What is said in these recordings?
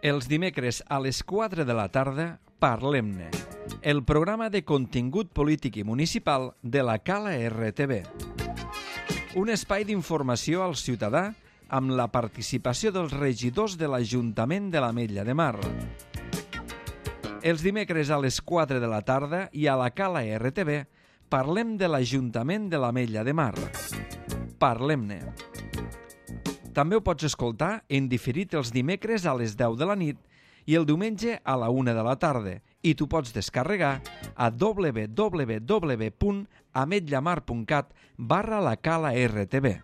Els dimecres a les 4 de la tarda, Parlem-ne, el programa de contingut polític i municipal de la Cala RTV. Un espai d'informació al ciutadà amb la participació dels regidors de l'Ajuntament de l'Ametlla de Mar. Els dimecres a les 4 de la tarda i a la Cala RTV parlem de l'Ajuntament de l'Ametlla de Mar. Parlem-ne. També ho pots escoltar en diferit els dimecres a les 10 de la nit i el diumenge a la 1 de la tarda i t'ho pots descarregar a www.ametllamar.cat/la Cala RTV.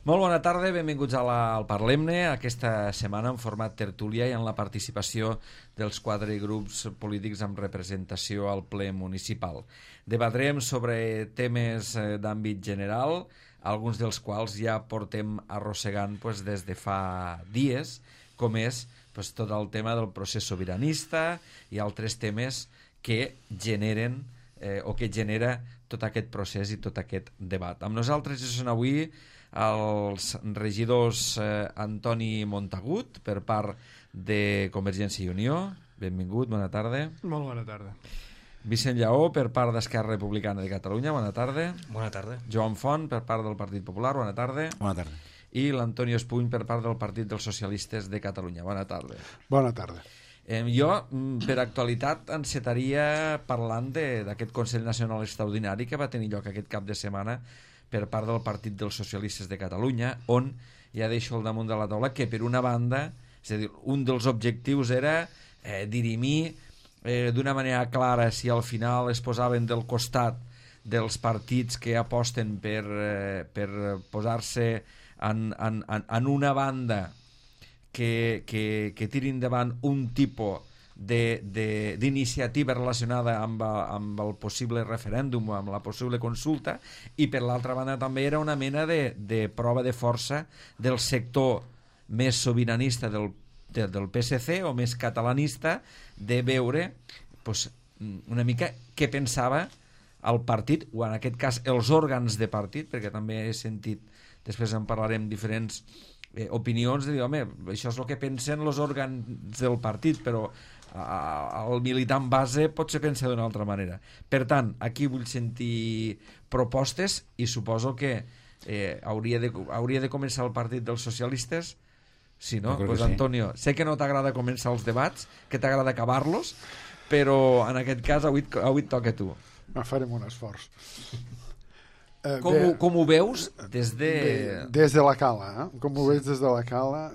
Molt bona tarda, benvinguts al Parlem-ne, aquesta setmana en format tertúlia i en la participació dels 4 grups polítics amb representació al ple municipal. Debatrem sobre temes d'àmbit general, alguns dels quals ja portem arrossegant des de fa dies, com és tot el tema del procés sobiranista i altres temes que generen o que genera tot aquest procés i tot aquest debat. Amb nosaltres són avui els regidors Antoni Montagut per part de Convergència i Unió, benvingut, bona tarda. Molt bona tarda. Vicent Lleó per part d'Esquerra Republicana de Catalunya, bona tarda. Bona tarda. Joan Font per part del Partit Popular, bona tarda. Bona tarda. I l'Antonio Espuny per part del Partit dels Socialistes de Catalunya, bona tarda. Bona tarda. Jo, per actualitat, encetaria parlant d'aquest Consell Nacional Extraordinari que va tenir lloc aquest cap de setmana per part del Partit dels Socialistes de Catalunya, on ja deixo al damunt de la taula que, per una banda, és a dir, un dels objectius era dirimir d'una manera clara si al final es posaven del costat dels partits que aposten per posar-se en una banda que tirin endavant un tipus d'iniciativa relacionada amb el possible referèndum o amb la possible consulta, i per l'altra banda també era una mena de prova de força del sector més sobiranista del PSC o més catalanista, de veure una mica què pensava el partit, o en aquest cas els òrgans de partit, perquè també he sentit, després en parlarem, diferents opinions de dir, home, això és el que pensen els òrgans del partit, però el militant base potser pensa d'una altra manera. Per tant, aquí vull sentir propostes i suposo que hauria de començar el Partit dels Socialistes. Sí, no? Pues sí. Antonio, sé que no t'agrada començar els debats, que t'agrada acabar-los, però en aquest cas avui et toca a tu. Farem un esforç. Com ho veus des de... Des de la Cala, Com ho veus des de la Cala?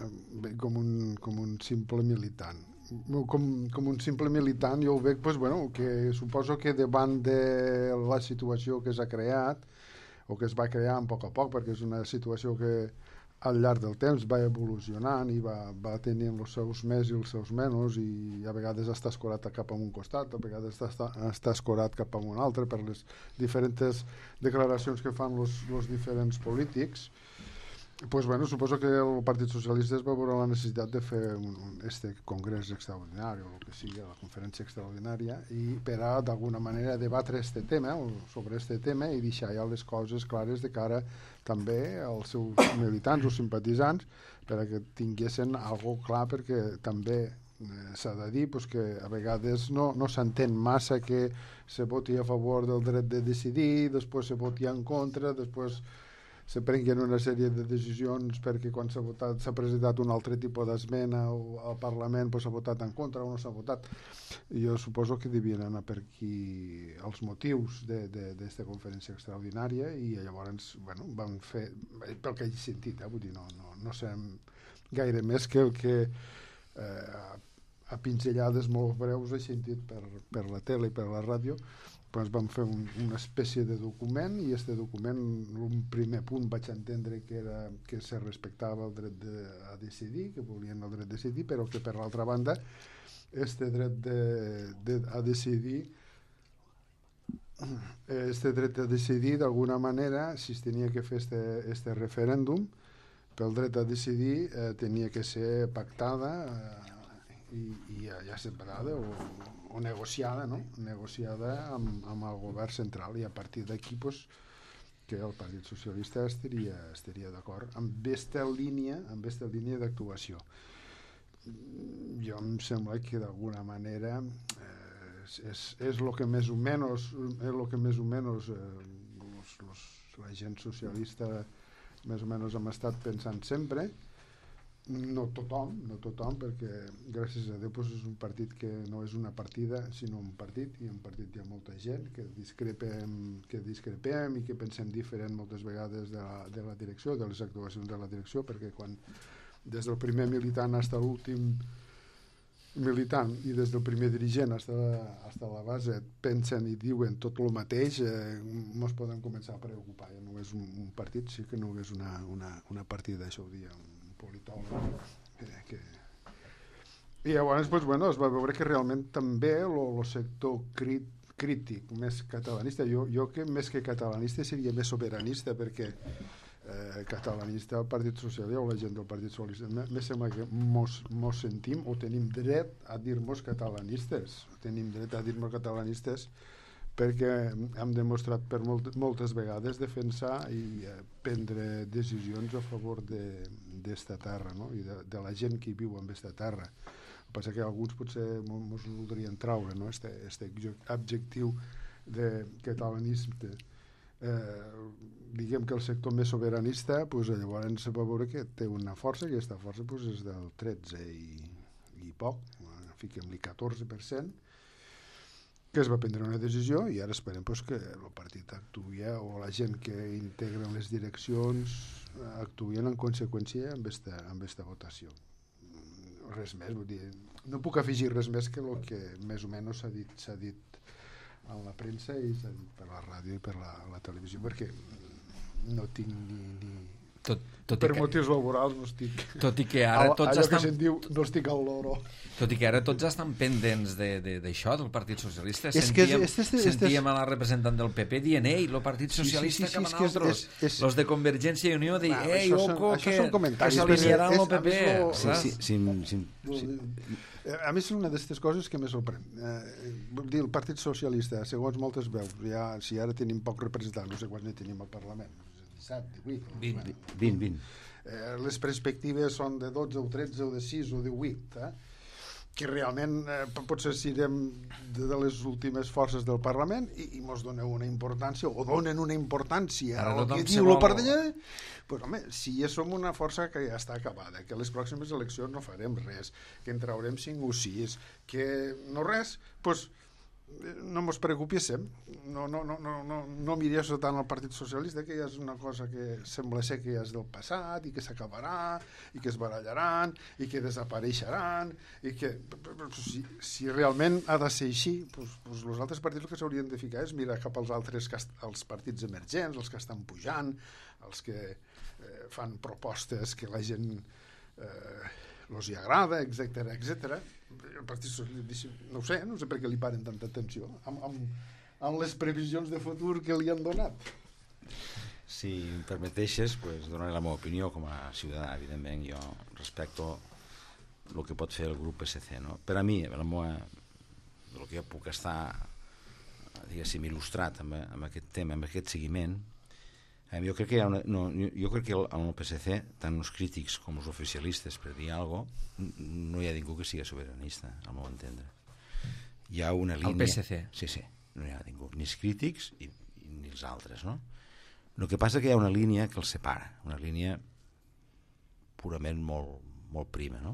Com un simple militant. Com un simple militant jo ho veig, que suposo que davant de la situació que s'ha creat o que es va crear a poc, perquè és una situació que al llarg del temps va evolucionant i va tenint els seus més i els seus menys, i a vegades està escorat cap a un costat, a vegades està escorat cap a un altre per les diferents declaracions que fan els diferents polítics. Suposo que el Partit Socialista va veure la necessitat de fer este congrés extraordinari o el que sigui, la conferència extraordinària, i per a d'alguna manera debatre sobre este tema i deixar ja les coses clares de cara també als seus militants o simpatitzants, per a que tinguessin algo clar, perquè també s'ha de dir que a vegades no s'entén massa que se voti a favor del dret de decidir, després se voti en contra, després se prenguin una sèrie de decisions perquè quan s'ha presentat un altre tipus d'esmena al Parlament s'ha votat en contra o no s'ha votat. Jo suposo que devien anar per aquí els motius d'esta conferència extraordinària, i llavors van fer, pel que he sentit, vull dir, no sé gaire més que el que a pinzellades molt breus he sentit per la tele i per la ràdio. Vam fer una espècie de document, i este document, un primer punt vaig entendre que era que se respectava el dret a decidir, que volien el dret a decidir, però que per l'altra banda este dret a decidir d'alguna manera, si es tenia que fer este referèndum pel dret a decidir, tenia que ser pactada i ja separada o negociada, no? Negociada amb el govern central, i a partir d'aquí pues, que el Partit Socialista estaria d'acord amb aquesta línia d'actuació. Jo em sembla que d'alguna manera és el que més o menys la gent socialista més o menys hem estat pensant sempre. No tothom, perquè gràcies a Déu doncs és un partit que no és una partida sinó un partit, i en partit hi ha molta gent que discrepem i que pensem diferent moltes vegades de la direcció, de les actuacions de la direcció, perquè quan des del primer militant fins a l'últim militant i des del primer dirigent fins a la base pensen i diuen tot el mateix, ens poden començar a preocupar. Ja no és un partit, sí que no és una partida, això ho dia un politòleg i llavors pues, bueno, es va veure que realment també el sector crític més catalanista, jo que més que catalanista seria més sobiranista, perquè catalanista el Partit Socialista o la gent del Partit Socialista me sembla que mos sentim o tenim dret a dir-nos catalanistes, perquè hem demostrat per moltes vegades defensar i prendre decisions a favor d'esta terra, no? I de la gent que viu en aquesta terra. El que passa que alguns potser ens voldrien traure, no? Este adjectiu de catalanisme. Diguem que el sector més sobiranista pues, llavors se va veure que té una força, i aquesta força pues, és del 13 i poc, fiquem-li 14%, que es va prendre una decisió, i ara esperem pues, que el partit actuï o la gent que integren les direccions actuïn en conseqüència amb esta votació. Res més, vull dir, no puc afegir res més que el que més o menys s'ha dit en la premsa i s'ha dit per la ràdio i per la televisió, perquè no tinc ni per motius laborals no estic tot i que ara tots allò que se'n diu no estic al loro. Tot i que ara tots estan pendents d'això, del Partit Socialista. Sentíem a la representant del PP dient, ei, el Partit Socialista cap a nosaltres, los de Convergència i Unió dient, ei, oco, que s'alinearan el PP. A més, és una d'aquestes coses que me sorprèn. El Partit Socialista, segons moltes veus, si ara tenim poc representant, no sé quants ne tenim al Parlament, 20. Les perspectives són de 12 o 13 o de 6 o de 8, que realment potser serem de les últimes forces del Parlament i mos donen una importància o donen una importància al que diu el partit. Pues, home, si ja som una força que ja està acabada, que a les pròximes eleccions no farem res, que en traurem 5 o 6, que no res, doncs no mos preocupéssim, no mirés tant al Partit Socialista, que ja és una cosa que sembla ser que ja és del passat i que s'acabarà i que es barallaran i que desapareixeran i que si realment ha de ser així, doncs els altres partits el que s'haurien de ficar és mirar cap als altres, als partits emergents, els que estan pujant, els que fan propostes que la gent els hi agrada, etc. El Partit Socialista, no sé per què li paren tanta atenció amb les previsions de futur que li han donat. Si em permeteixes, pues, donaré la meva opinió com a ciutadà. Evidentment, jo respecto el que pot fer el grup PSC, no? Per a mi, el que jo puc estar, diguéssim, il·lustrat amb aquest tema, amb aquest seguiment, jo crec que en el PSC, tant els crítics com els oficialistes, per dir alguna cosa, no hi ha ningú que sigui sobiranista, al meu entendre. Hi ha una línia... El PSC? Sí, no hi ha ningú, ni els crítics ni els altres, no? El que passa que hi ha una línia que els separa, una línia purament molt prima, no?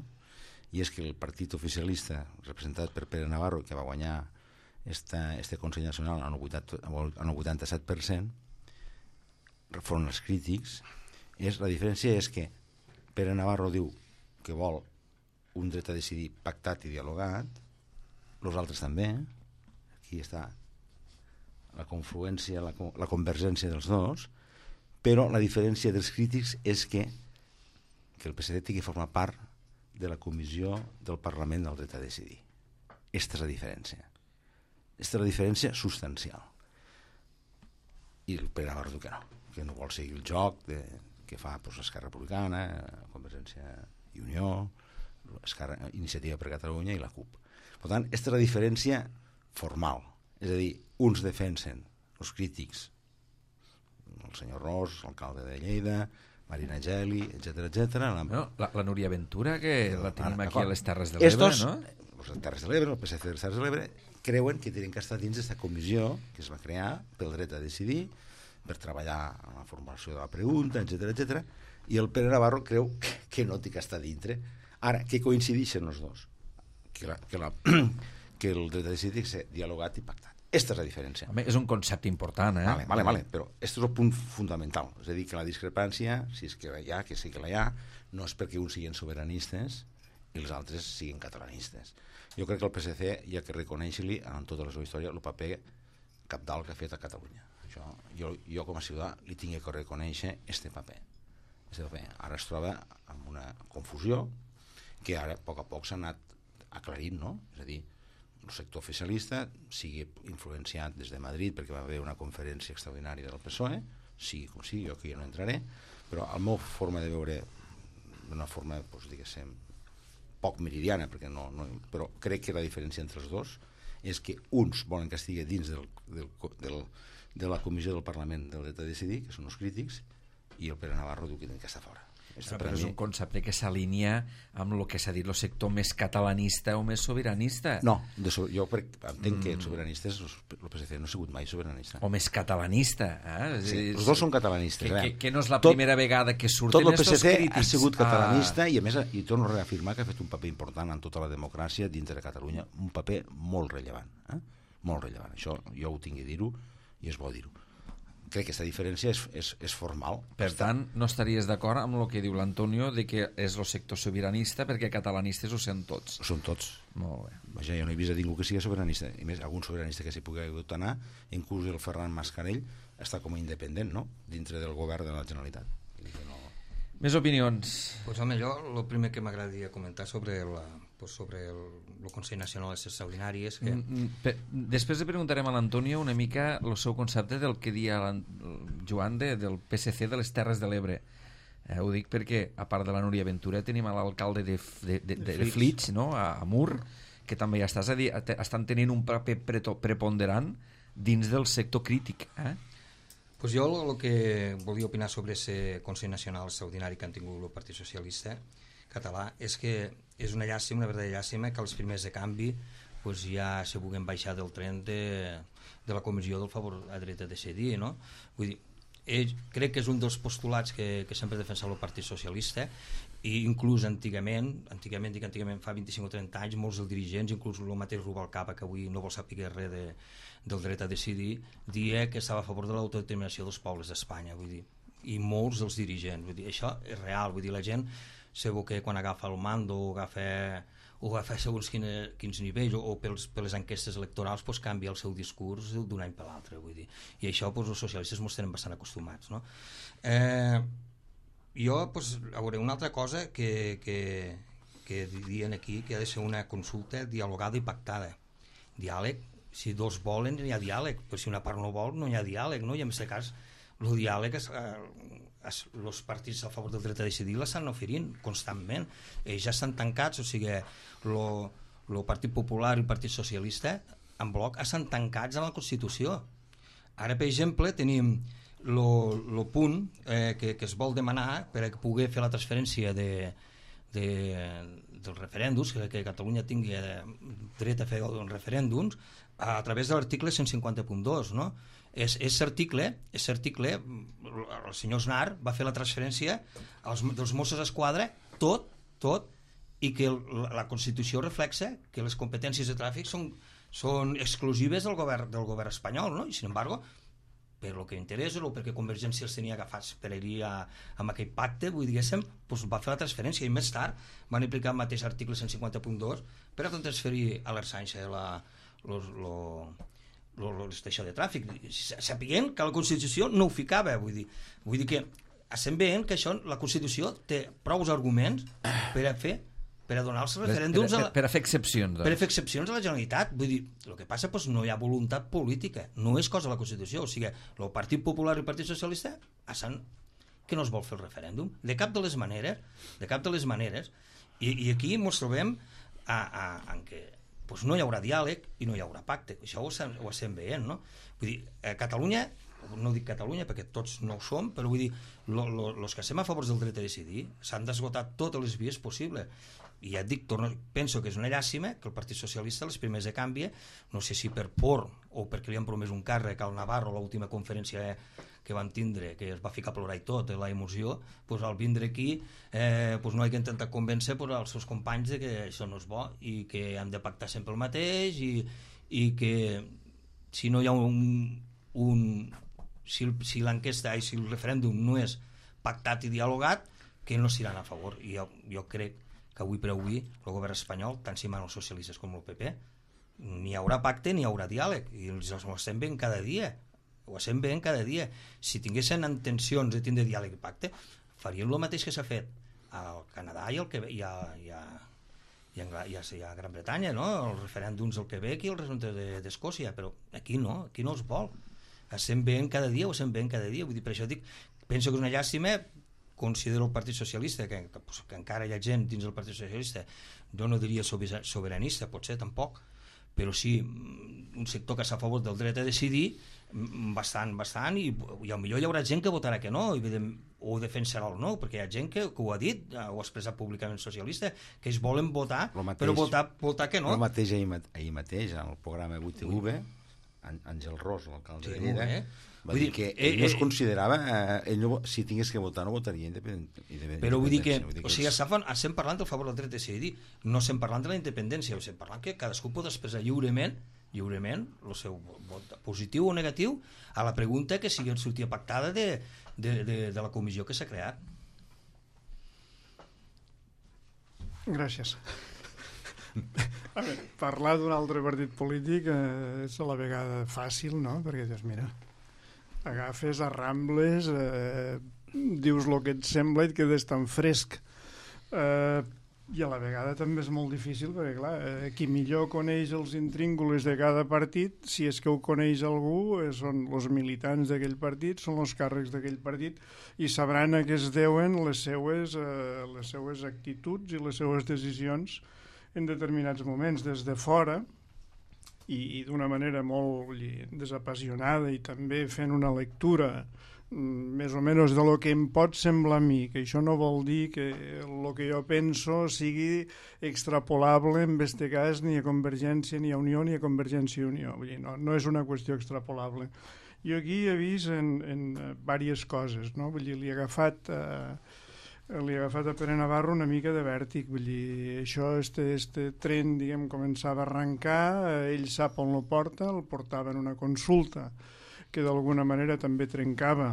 I és que el partit oficialista, representat per Pere Navarro, que va guanyar este Consell Nacional en el 87%, front als crítics, la diferència és que Pere Navarro diu que vol un dret a decidir pactat i dialogat, els altres també, aquí està la confluència, la convergència dels dos, però la diferència dels crítics és que el PSD tingui formar part de la comissió del Parlament del dret a decidir. Aquesta és la diferència. Aquesta és la diferència substancial. I el Pere Navarro diu que no vol seguir el joc que fa Esquerra Republicana, Convergència i Unió, Iniciativa per Catalunya i la CUP. Per tant, aquesta és la diferència formal. És a dir, uns defensen, els crítics, el senyor Ros, l'alcalde de Lleida, Marina Geli, etc. La Núria Ventura, que la tenim aquí a les Terres de l'Ebre, no? Les Terres de l'Ebre, el PSC de les Terres de l'Ebre, creuen que tenen que estar dins d'aquesta comissió que es va crear pel dret a decidir, per treballar en la formulació de la pregunta, etc. I el Pere Navarro creu que no té que estar dintre. Ara, que coincideixen els dos? Que el dret a decidir s'ha dialogat i pactat. Aquesta és la diferència. Home, és un concepte important, Vale, però aquest és el punt fundamental. És a dir, que la discrepància, si és que la hi ha, que sí que la hi ha, no és perquè uns siguin sobiranistes i els altres siguin catalanistes. Jo crec que el PSC hi ha que reconèixer-li en tota la seva història el paper cabdal que ha fet a Catalunya. Això, jo com a ciutadà li tinc que reconèixer este paper. Ara es troba amb una confusió que ara a poc s'ha anat aclarint, no? És a dir, el sector oficialista sigui influenciat des de Madrid perquè va haver una conferència extraordinària del PSOE, sigui com sigui, jo que ja no entraré, però la meva forma de veure, d'una forma, diguéssim, poc meridiana, però crec que la diferència entre els dos és que uns volen que estigui dins de la comissió del Parlament del dret a decidir, que són els crítics, i el Pere Navarro diu que està fora. Però és un concepte que s'alinea amb el que s'ha dit el sector més catalanista o més sobiranista. No, jo entenc que els sobiranistes, el PSC no ha sigut mai sobiranista. O més catalanista. Sí, els dos són catalanistes. Que no és la primera vegada que surten estos crítics. Tot el PSC ha sigut catalanista i a més, i torno a reafirmar que ha fet un paper important en tota la democràcia dintre de Catalunya, un paper molt rellevant. Molt rellevant. Això jo ho tinc que dir-ho i és bo dir-ho. Crec que aquesta diferència és formal. Per tant, no estaries d'acord amb el que diu l'Antonio de que és el sector sobiranista perquè catalanistes ho són tots. Ho són tots. Molt bé. Vaja, jo no he vist a ningú que sigui sobiranista. I més, algun sobiranista que s'hi pugui hagut anar, inclús el Ferran Mascarell, està com a independent, no?, dintre del govern de la Generalitat. Més opinions? Pues, home, jo el primer que m'agradaria comentar sobre el Consell Nacional Extraordinari és que... Després preguntarem a l'Antonio una mica el seu concepte del que dia el Joan del PSC de les Terres de l'Ebre. Ho dic perquè, a part de la Núria Ventura, tenim l'alcalde de Flix, no?, a Mur, que també ja estàs a dir, estan tenint un paper preponderant dins del sector crític, Pues jo el que volia opinar sobre aquest Consell Nacional Extraordinari que han tingut el Partit Socialista català és que és una llàstima, una verdadera llàstima que els primers de canvi pues ja se vulguin baixar del tren de la comissió del favor a dret a decidir, no? Vull dir, crec que és un dels postulats que sempre ha defensat el Partit Socialista i inclús antigament, fa 25 o 30 anys, molts dels dirigents, inclús el mateix Rubalcaba, que avui no vol saber res del dret a decidir, dia que estava a favor de l'autodeterminació dels pobles d'Espanya, vull dir, i molts dels dirigents, vull dir, això és real, vull dir, la gent segur que quan agafa el mando o agafa segons quins nivells o per les enquestes electorals pues, canvia el seu discurs d'un any per l'altre, vull dir, i això pues, els socialistes ens tenen bastant acostumats, no? Jo, pues, a veure, una altra cosa que dirien aquí que ha de ser una consulta dialogada i pactada. Diàleg, si dos volen hi ha diàleg, però si una part no vol no hi ha diàleg, no? I en aquest cas el diàleg els partits a favor del dret a decidir l'estan oferint constantment, ells ja estan tancats, o sigui el Partit Popular i el Partit Socialista en bloc estan tancats a la Constitució. Ara, per exemple, tenim el punt que es vol demanar per a poder fer la transferència dels referèndums, que Catalunya tingui dret a fer referèndums a través de l'article 150.2, no? Aquest article, el senyor Aznar va fer la transferència dels Mossos d'Esquadra tot, i que la Constitució reflexa que les competències de tràfic són exclusives del govern espanyol, no? I sin embargo, per lo que interessa o perquè Convergència els tenia agafats per ir amb aquell pacte, vull dir, doncs va fer la transferència i més tard van aplicar el mateix article 150.2 per a transferir a l'Ersança l'estació de tràfic, sapiguent que la Constitució no ho ficava, vull dir que estem veient que això, la Constitució té prou arguments per a donar els referèndums per a fer excepcions, doncs. Per a fer excepcions a la Generalitat. Vull dir, el que passa és no hi ha voluntat política, no és cosa de la Constitució, o sigui, el Partit Popular i el Partit Socialista que no es vol fer el referèndum de cap de les maneres, I aquí ens trobem en què pues no hi haurà diàleg i no hi haurà pacte. Això ho estem veient, no? Vull dir, a Catalunya, no dic Catalunya perquè tots no ho som, però vull dir, els que estem a favor del dret a decidir s'han d'esgotar totes les vies possibles. I ja et dic, penso que és una llàstima que el Partit Socialista les primeres de canvi, no sé si per por o perquè li han promès un càrrec al Navarro a l'última conferència que van tindre, que es va ficar a plorar i tot, la emoció, pues, al vindre aquí pues, no hi ha intentat convèncer pues, els seus companys de que això no és bo i que han de pactar sempre el mateix i que si no hi ha si l'enquesta i si el referèndum no és pactat i dialogat, que no s'hiran a favor. I jo crec que avui per avui el govern espanyol, tant si manen els socialistes com el PP, ni hi haurà pacte ni hi haurà diàleg, i els estem veient cada dia. Ho estem veient cada dia. Si tinguessin intencions de tindre diàleg i pacte, farien el mateix que s'ha fet al Canadà i al Quebec i a Gran Bretanya, no? Els referèndums al Quebec i els referèndums d'Escòcia, però aquí no es vol. Estem veient cada dia, ho estem veient cada dia. Vull dir, per això dic, penso que és una llàstima. Considero el Partit Socialista, que encara hi ha gent dins del Partit Socialista, jo no diria sobiranista, potser tampoc, però sí un sector que està a favor del dret a decidir bastant, i potser hi haurà gent que votarà que no o defensarà el no, perquè hi ha gent que ho ha dit, ho ha expressat públicament socialista, que ells volen votar, però votar que no. El mateix ahir mateix en el programa 8TV, Àngel Ros, l'alcalde de Lleida, va dir que ell no es considerava, si tingués que votar no votaria independència. Però vull dir que estem parlant del favor del dret a decidir, no estem parlant de la independència, estem parlant que cadascú pot expressar lliurement el seu vot positiu o negatiu a la pregunta que sigui sortia pactada de la comissió que s'ha creat. Gràcies. A veure, parlar d'un altre partit polític és a la vegada fàcil, no? Perquè dius, mira, agafes, arrambles, dius el que et sembla i et quedes tan fresc. I a la vegada també és molt difícil perquè, clar, qui millor coneix els intríngulis de cada partit, si és que ho coneix algú, són els militants d'aquell partit, són els càrrecs d'aquell partit, i sabran a què es deuen les seues actituds i les seues decisions en determinats moments. Des de fora, i d'una manera molt desapassionada i també fent una lectura més o menys de lo que em pot semblar a mi, que això no vol dir que el que jo penso sigui extrapolable en aquest cas ni a Convergència ni a Unió ni a Convergència i Unió. Vull dir, no és una qüestió extrapolable. Jo aquí he vist en diverses coses, no? Vull dir, li he agafat a Pere Navarro una mica de vèrtic. Vull dir, això, este tren, diguem, començava a arrencar, ell sap on lo porta, el portava en una consulta que d'alguna manera també trencava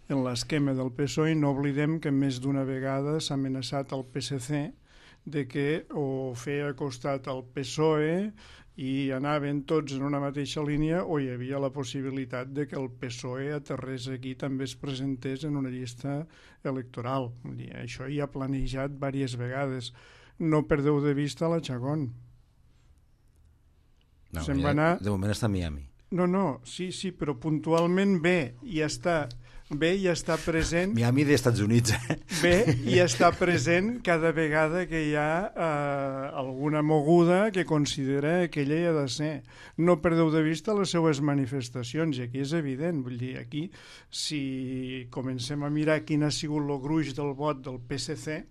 en l'esquema del PSOE, i no oblidem que més d'una vegada s'ha amenaçat el PSC de que o feia costat al PSOE i anaven tots en una mateixa línia, o hi havia la possibilitat de que el PSOE aterrés aquí, també es presentés en una llista electoral. Vull dir, això hi ha planejat diverses vegades. No perdeu de vista la Chacón. No, de moment està a Miami. No, sí, però puntualment ve i està present. Miami d'Estats Units. Ve i està present cada vegada que hi ha alguna moguda que considera que ella hi ha de ser. No perdeu de vista les seues manifestacions, i aquí és evident. Vull dir, aquí, si comencem a mirar quin ha sigut el gruix del vot del PSC,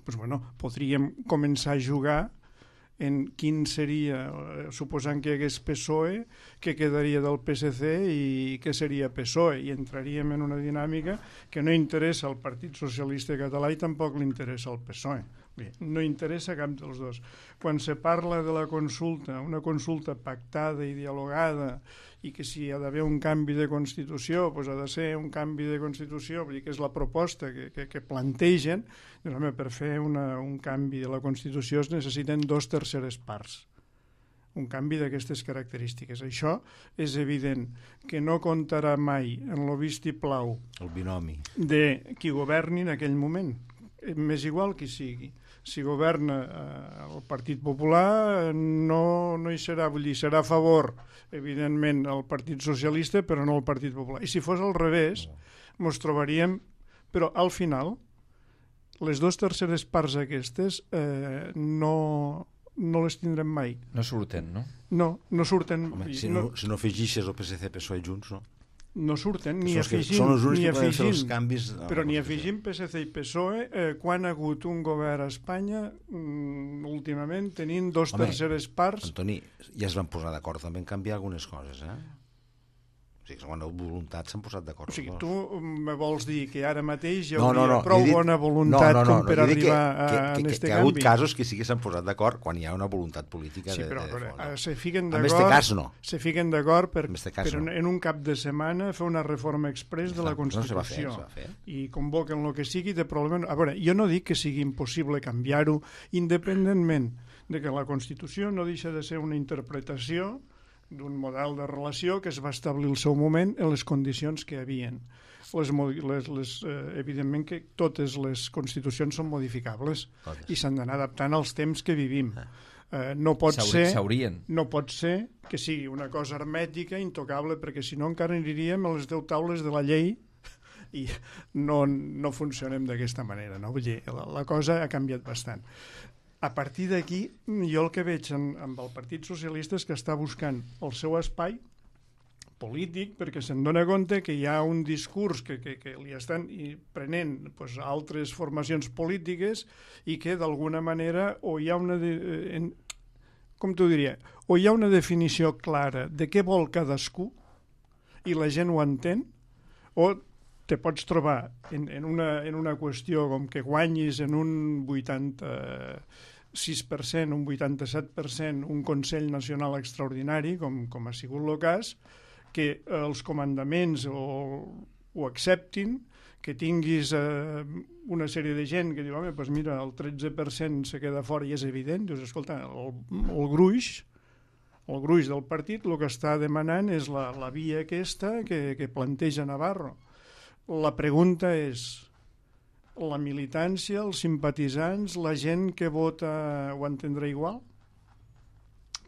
doncs, bueno, podríem començar a jugar en quin seria, suposant que hi hagués PSOE, què quedaria del PSC i què seria PSOE, i entraríem en una dinàmica que no interessa al Partit Socialista Català i tampoc li interessa al PSOE. Bé, no interessa cap dels dos. Quan se parla de la consulta, una consulta pactada i dialogada, i que si hi ha d'haver un canvi de Constitució, doncs ha de ser un canvi de Constitució, vull dir que és la proposta que plantegen, doncs, home, per fer un canvi de la Constitució es necessiten 2/3 parts. Un canvi d'aquestes característiques. Això és evident que no comptarà mai en el vistiplau el binomi de qui governi en aquell moment. M'és igual qui sigui. Si governa el Partit Popular no hi serà, vull dir, serà a favor, evidentment, el Partit Socialista, però no el Partit Popular. I si fos al revés, ens trobaríem, però al final les 2/3 parts aquestes no les tindrem mai. No surten, no? No surten. Home, si no afegixes el PSC, PSOE junts, no? No surten, ni afegint. Són els únics que poden fer els canvis. Però ni afegint PSC i PSOE, quan ha hagut un govern a Espanya, últimament, tenint 2/3 parts... Antoni, ja es van posar d'acord també en canviar algunes coses, O sigui, quan la voluntat s'han posat d'acord. O sigui, tu me vols dir que ara mateix hi hauria prou bona voluntat com per arribar a aquest canvi? Que ha hagut casos que sí que s'han posat d'acord quan hi ha una voluntat política de fons. Sí, però se fiquen d'acord... En aquest cas, no. Se fiquen d'acord per en un cap de setmana fer una reforma express de la Constitució. No se va fer. I convoquen el que sigui de problema... A veure, jo no dic que sigui impossible canviar-ho independentment de que la Constitució no deixa de ser una interpretació d'un model de relació que es va establir al seu moment en les condicions que hi havien. Evidentment que totes les constitucions són modificables i s'han d'anar adaptant als temps que vivim. No pot ser que sigui una cosa hermètica, intocable, perquè si no encara aniríem a les 10 taules de la llei i no funcionem d'aquesta manera. No? Vull dir, la cosa ha canviat bastant. A partir d'aquí, jo el que veig amb el Partit Socialista és que està buscant el seu espai polític perquè se'n dona compte que hi ha un discurs que li estan prenent altres formacions polítiques i que d'alguna manera o hi ha una o hi ha una definició clara de què vol cadascú i la gent ho entén, o te pots trobar en una qüestió com que guanyis en un 86%, un 87%, un Consell Nacional Extraordinari, com ha sigut el cas, que els comandaments ho acceptin, que tinguis una sèrie de gent que diu, home, doncs mira, el 13% se queda fora i és evident, dius, escolta, el gruix del partit el que està demanant és la via aquesta que planteja Navarro. La pregunta és, la militància, els simpatitzants, la gent que vota ho entendrà igual?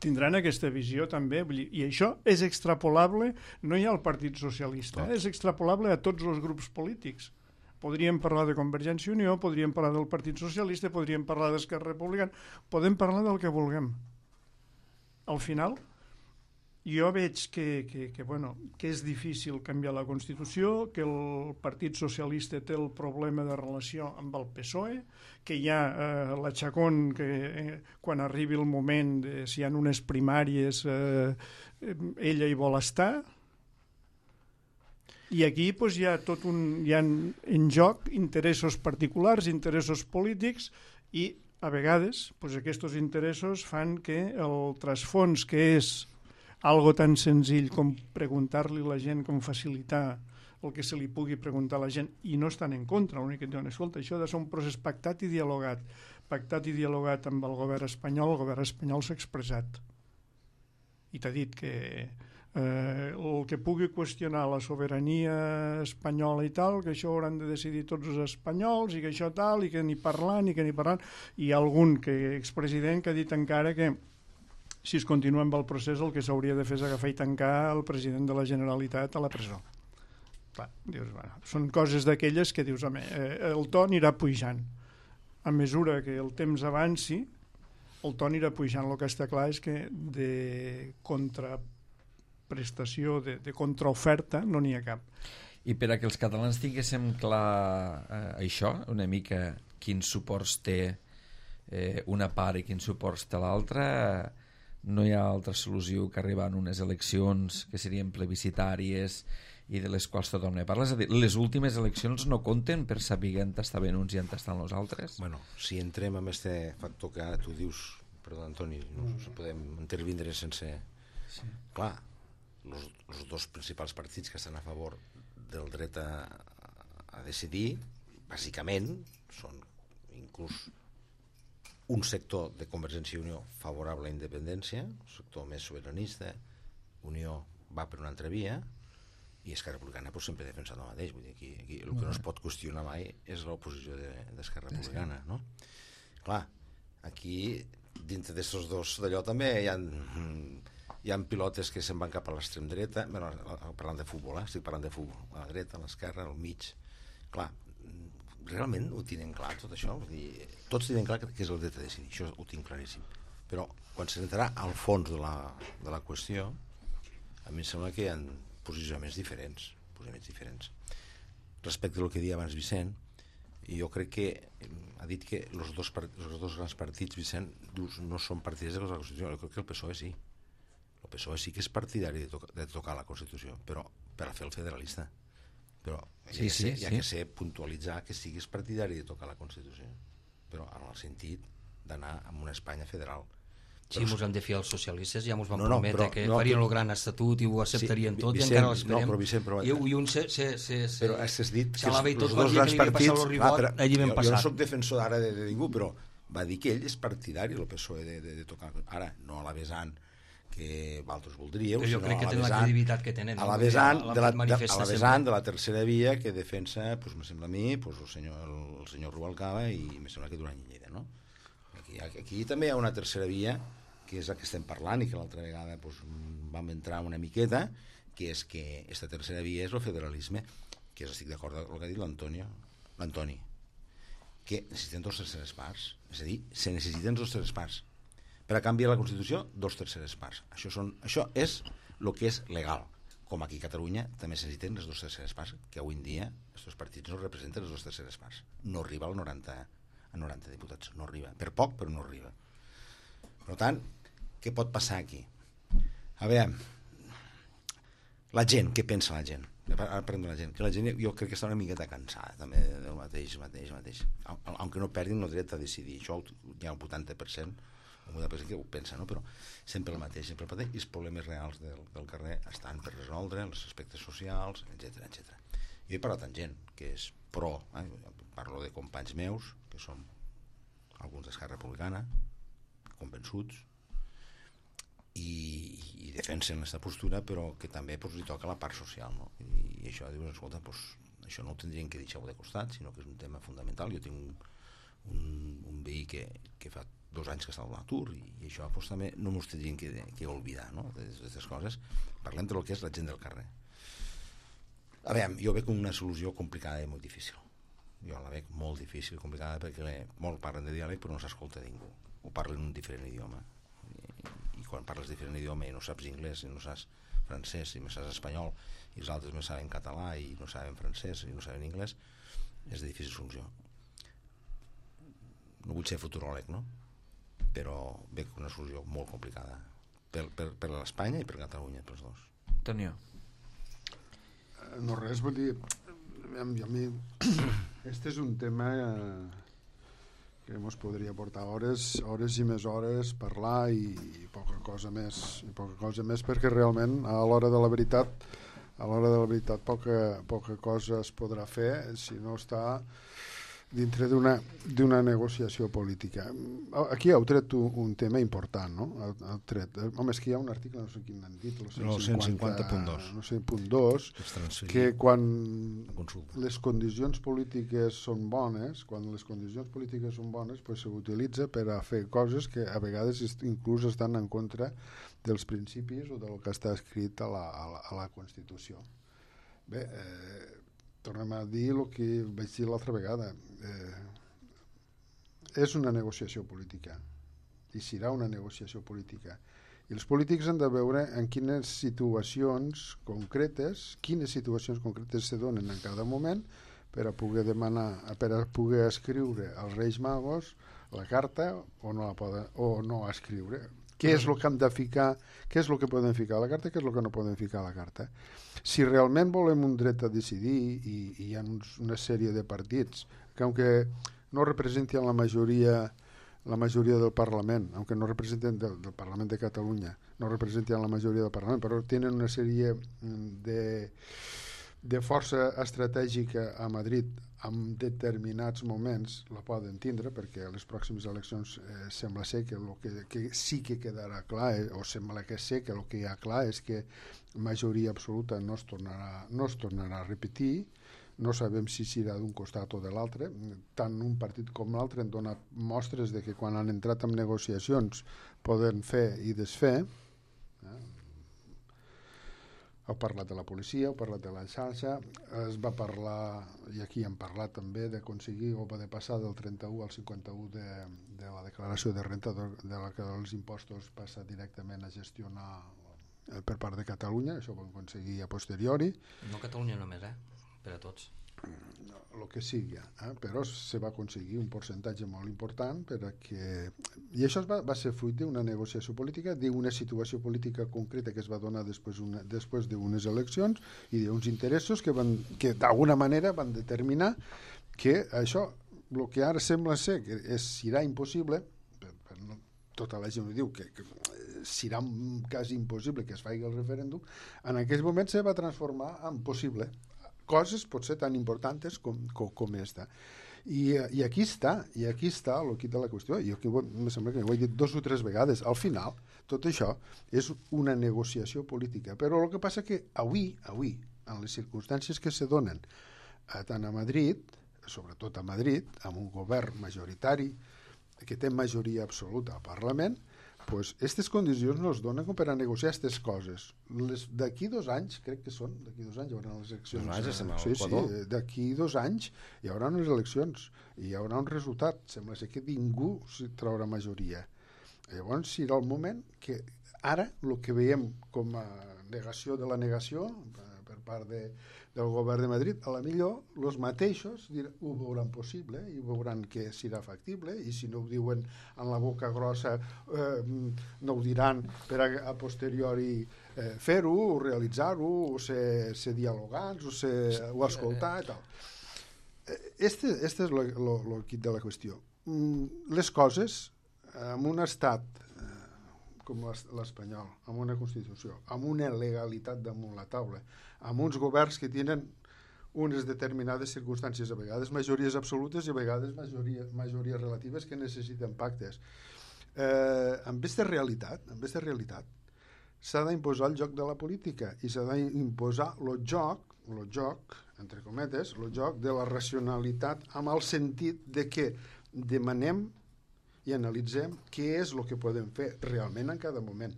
Tindran aquesta visió també, i això és extrapolable, no hi ha al Partit Socialista, és extrapolable a tots els grups polítics. Podríem parlar de Convergència i Unió, podríem parlar del Partit Socialista, podríem parlar d'Esquerra Republicana, podem parlar del que vulguem. Al final, jo veig que és difícil canviar la Constitució, que el Partit Socialista té el problema de relació amb el PSOE, que hi ha la Chacón que quan arribi el moment, si hi ha unes primàries, ella hi vol estar, i aquí hi ha en joc interessos particulars, interessos polítics, i a vegades aquests interessos fan que el trasfons, que és algo tan senzill com preguntar-li a la gent, com facilitar el que se li pugui preguntar a la gent, i no estan en contra, l'únic que diuen, escolta, això ha de ser un procés pactat i dialogat amb el govern espanyol s'ha expressat i t'ha dit que el que pugui qüestionar la sobirania espanyola i tal, que això hauran de decidir tots els espanyols i que això tal, i que ni parlant, i algun expresident que ha dit encara que si es continua amb el procés el que s'hauria de fer és agafar i tancar el president de la Generalitat a la presó. Clar, dius, són coses d'aquelles que dius, home, el to anirà pujant. A mesura que el temps avanci, el to anirà pujant. El que està clar és que de contraprestació, de contraoferta, no n'hi ha cap. I per a que els catalans tinguéssim clar això, una mica quins suports té una part i quins suports té l'altra, no hi ha altra solució que arribar a unes eleccions que serien plebiscitàries i de les quals tothom ne parla. És a dir, les últimes eleccions no compten per saber on estaven uns i on estan els altres? Bueno, si entrem en aquest factor que ara tu dius, perdó, Antoni, no podem intervindre sense... Sí. Clar, els dos principals partits que estan a favor del dret a decidir, bàsicament, són inclús un sector de Convergència i Unió favorable a la independència, un sector més sobiranista, Unió va per una altra via, i Esquerra Republicana sempre ha defensat el mateix. Vull dir, aquí el que no es pot qüestionar mai és l'oposició d'Esquerra Republicana, no? Clar, aquí, dintre d'aquests dos d'allò també hi ha pilotes que se'n van cap a l'extrem dreta, parlant de futbol, estic parlant de futbol, a la dreta, a l'esquerra, al mig. Clar, realment ho tenen clar tot això? Vull dir, tots tenen clar que és el dret a decidir, això ho tinc claríssim, però quan s'entrarà al fons de la qüestió, a mi em sembla que hi ha posicionaments diferents. Respecte al que deia abans Vicent, jo crec que ha dit que els dos grans partits, Vicent, no són partidaris de la Constitució. Jo crec que el PSOE sí. El PSOE sí que és partidari de tocar la Constitució, però per a fer el federalista. Però hi ha que ser puntualitzar que siguis partidari de tocar la Constitució, però en el sentit d'anar a una Espanya federal. Sí, ens hem de fiar als socialistes, ja ens van prometre que farien el gran estatut i ho acceptarien tot, i encara l'esperem. No, però Vicent, I un se però has dit que els dos grans partits... allí ben passat. Jo no soc defensor ara de ningú, però va dir que ell és partidari, el PSOE, de tocar... Ara, no a la vessant que vosaltres voldríeu, però jo crec que tenen la credibilitat que tenen. A la vessant de la tercera via que defensa, me sembla a mi, el senyor Rubalcaba i me sembla que Duran i Lleida, no? Aquí també hi ha una tercera via, que és la que estem parlant i que l'altra vegada vam entrar una miqueta, que és que aquesta tercera via és el federalisme, que estic d'acord amb el que ha dit l'Antoni, que necessiten 2/3 parts, és a dir, se necessiten 2/3 parts. Per a canviar la Constitució, 2/3 parts. Això és el que és legal. Com aquí a Catalunya també se necessiten les 2/3 parts, que avui en dia aquests partits no representen les 2/3 parts. No arriba al 90 diputats, no arriba, per poc però no arriba. Per tant, què pot passar aquí? A veure, la gent, què pensa la gent? Ara parlem de la gent, que la gent jo crec que està una miqueta cansada també del mateix, aunque no perdin el dret a decidir, això hi ha un 80% que ho pensa, no? Però sempre el mateix, i els problemes reals del carrer estan per resoldre, els aspectes socials, etc. Jo he parlat amb gent que és pro, parlo de companys meus que són alguns d'Esquerra Republicana convençuts i defensen aquesta postura, però que també li toca la part social, no? I això dius, escolta, això no ho tindrien que deixar de costat, sinó que és un tema fundamental. Jo tinc un veí que fa 2 anys que està a l'atur i això també no ens tindrien que oblidar, no? D'aquestes coses. Parlem del que és la gent del carrer. A veure, jo veig una solució complicada i molt difícil. Jo la veig molt difícil i complicada perquè molt parlen de diàleg però no s'escolta ningú. Ho parlen en un diferent idioma. I quan parles diferent idioma i no saps anglès i no saps francès i no saps espanyol i els altres no saben català i no saben francès i no saben anglès, és de difícil solució. No vull ser futuròleg, no? Però veig una solució molt complicada per l'Espanya i per Catalunya, per els dos. Antonio. No res, vull dir, a mi este és un tema que ens podria portar hores i més hores, parlar i poca cosa més, perquè realment a l'hora de la veritat poca cosa es podrà fer si no està dintre d'una negociació política. Aquí heu tret un tema important, no? Home, és que hi ha un article, no sé quin han dit, el 150.2, no sé, .2, que quan les condicions polítiques són bones, pues s'utilitza per a fer coses que a vegades inclús estan en contra dels principis o del que està escrit a la Constitució. Bé, tornem a dir el que vaig dir l'altra vegada. És una negociació política i serà una negociació política i els polítics han de veure en quines situacions concretes se donen en cada moment per a poder demanar, per a poder escriure als Reis Magos la carta o no escriure. Què és el que han de ficar, què és el que poden ficar a la carta, què és el que no poden ficar a la carta. Si realment volem un dret a decidir i hi ha una sèrie de partits que aunque no representen la majoria del Parlament, aunque no representen del Parlament de Catalunya, no representen la majoria del Parlament, però tenen una sèrie de força estratègica a Madrid en determinats moments la poden tindre, perquè a les pròximes eleccions sembla ser que el que sí que quedarà clar, o sembla que sé que el que hi ha clar és que majoria absoluta no es tornarà a repetir. No sabem si serà d'un costat o de l'altre. Tant un partit com l'altre han donat mostres de que quan han entrat en negociacions poden fer i desfer. Heu parlat de la policia, heu parlat de la xarxa, es va parlar, i aquí hem parlat també, d'aconseguir o de passar del 31 al 51 de la declaració de renta, de la que els impostos passa directament a gestionar per part de Catalunya, això ho vam aconseguir a posteriori. No Catalunya només, per a tots. El que sigui, però se va aconseguir un percentatge molt important perquè... I això va ser fruit d'una negociació política, d'una situació política concreta que es va donar després d'unes eleccions i d'uns interessos que d'alguna manera van determinar que això, el que ara sembla ser que serà impossible, tota la gent ho diu, que serà quasi impossible que es faci el referèndum, en aquell moment se va transformar en possible. Coses potser tan importants com esta. I aquí està el quid de la qüestió. Jo aquí em sembla que ho he dit 2 o 3 vegades. Al final, tot això és una negociació política. Però el que passa que avui, en les circumstàncies que se donen tant a Madrid, sobretot a Madrid, amb un govern majoritari que té majoria absoluta al Parlament, pues aquestes condicions no es donen com per a negociar aquestes coses. D'aquí 2 anys, crec que són, d'aquí 2 anys hi haurà les eleccions. Sí, d'aquí 2 anys hi haurà unes eleccions i hi haurà un resultat. Sembla ser que ningú traurà majoria. Llavors serà el moment que ara el que veiem com a negació de la negació per part del govern de Madrid, a la millor els mateixos ho veuran possible i veuran que serà factible, i si no ho diuen en la boca grossa no ho diran per a posteriori fer-ho, o realitzar-ho, o ser dialogants, o escoltar i tal. Este és el quid de la qüestió. Les coses en un estat com l'espanyol, amb una Constitució, amb una legalitat damunt la taula, amb uns governs que tenen unes determinades circumstàncies, a vegades majories absolutes i a vegades majories relatives que necessiten pactes. Amb aquesta realitat s'ha d'imposar el joc de la política i s'ha d'imposar el joc, entre cometes, el joc de la racionalitat, amb el sentit de que demanem i analitzem què és el que podem fer realment en cada moment.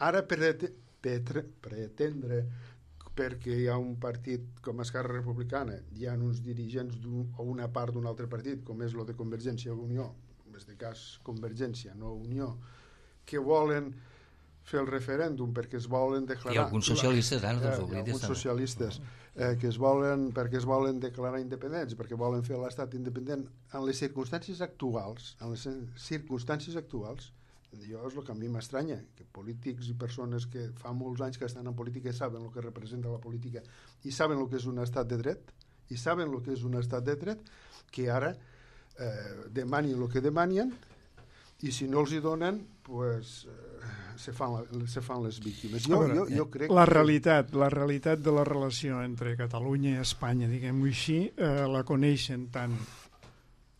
Ara pretendre, perquè hi ha un partit com Esquerra Republicana, hi ha uns dirigents o una part d'un altre partit, com és el de Convergència i Unió, en aquest cas Convergència, no Unió, que volen fer el referèndum perquè es volen declarar... Hi ha alguns socialistes, hi ha alguns socialistes perquè es volen declarar independents, perquè volen fer l'estat independent en les circumstàncies actuals, jo és el que a mi m'estranya, que polítics i persones que fa molts anys que estan en política saben el que representa la política i saben el que és un estat de dret, que ara demanin el que demanen i si no els hi donen, pues, se fan les víctimes. Jo crec la realitat de la relació entre Catalunya i Espanya, diguem-ho així, la coneixen tant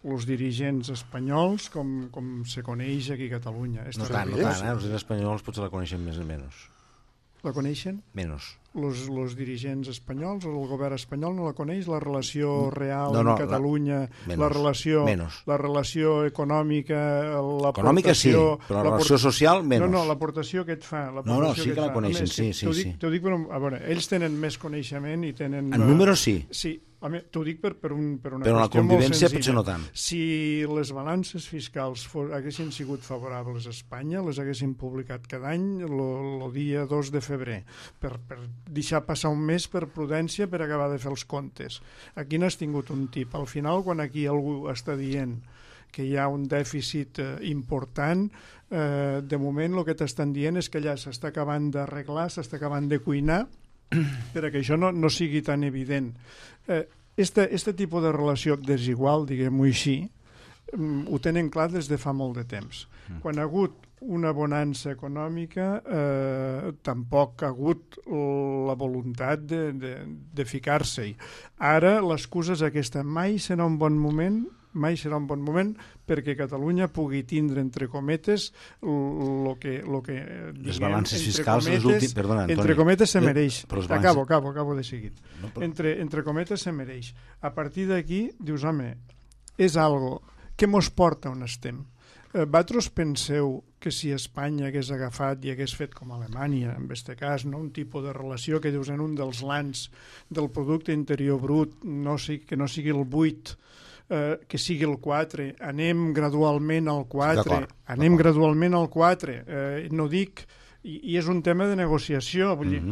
els dirigents espanyols com se coneix aquí a Catalunya. No tant, els espanyols potser la coneixen més o menys. La coneixen? Menys. Els dirigents espanyols o el govern espanyol no la coneix, la relació real amb Catalunya, la relació econòmica, econòmica sí, però la relació social menys. No, l'aportació que et fa. Sí que la coneixen, sí. T'ho dic, a veure, ells tenen més coneixement i tenen... En números sí. Sí, t'ho dic per una però qüestió la convivència molt potser no tant. Si les balances fiscals haguessin sigut favorables a Espanya, les haguessin publicat cada any el dia 2 de febrer, per deixar passar un mes per prudència per acabar de fer els comptes. Aquí n'has tingut un tip. Al final, quan aquí algú està dient que hi ha un dèficit important, de moment el que t'estan dient és que allà s'està acabant d'arreglar, s'està acabant de cuinar, perquè això no sigui tan evident. Este tipus de relació desigual, diguem-ho així, ho tenen clar des de fa molt de temps. Quan ha hagut una bonança econòmica, tampoc ha hagut la voluntat de ficar-se-hi. Ara l'excusa és aquesta: mai serà un bon moment perquè Catalunya pugui tindre, entre cometes, el que les balances fiscals entre cometes se mereix. Acabo de seguit. Entre cometes se mereix. A partir d'aquí dius, home, és algo que mos porta on estem. Vosaltres penseu que si Espanya hagués agafat i hagués fet com Alemanya, en aquest cas, no? Un tipus de relació que dius en un dels lans del producte interior brut, que no sigui el 8, que sigui el 4, anem gradualment al 4, gradualment al 4, no dic, i és un tema de negociació, vull dir,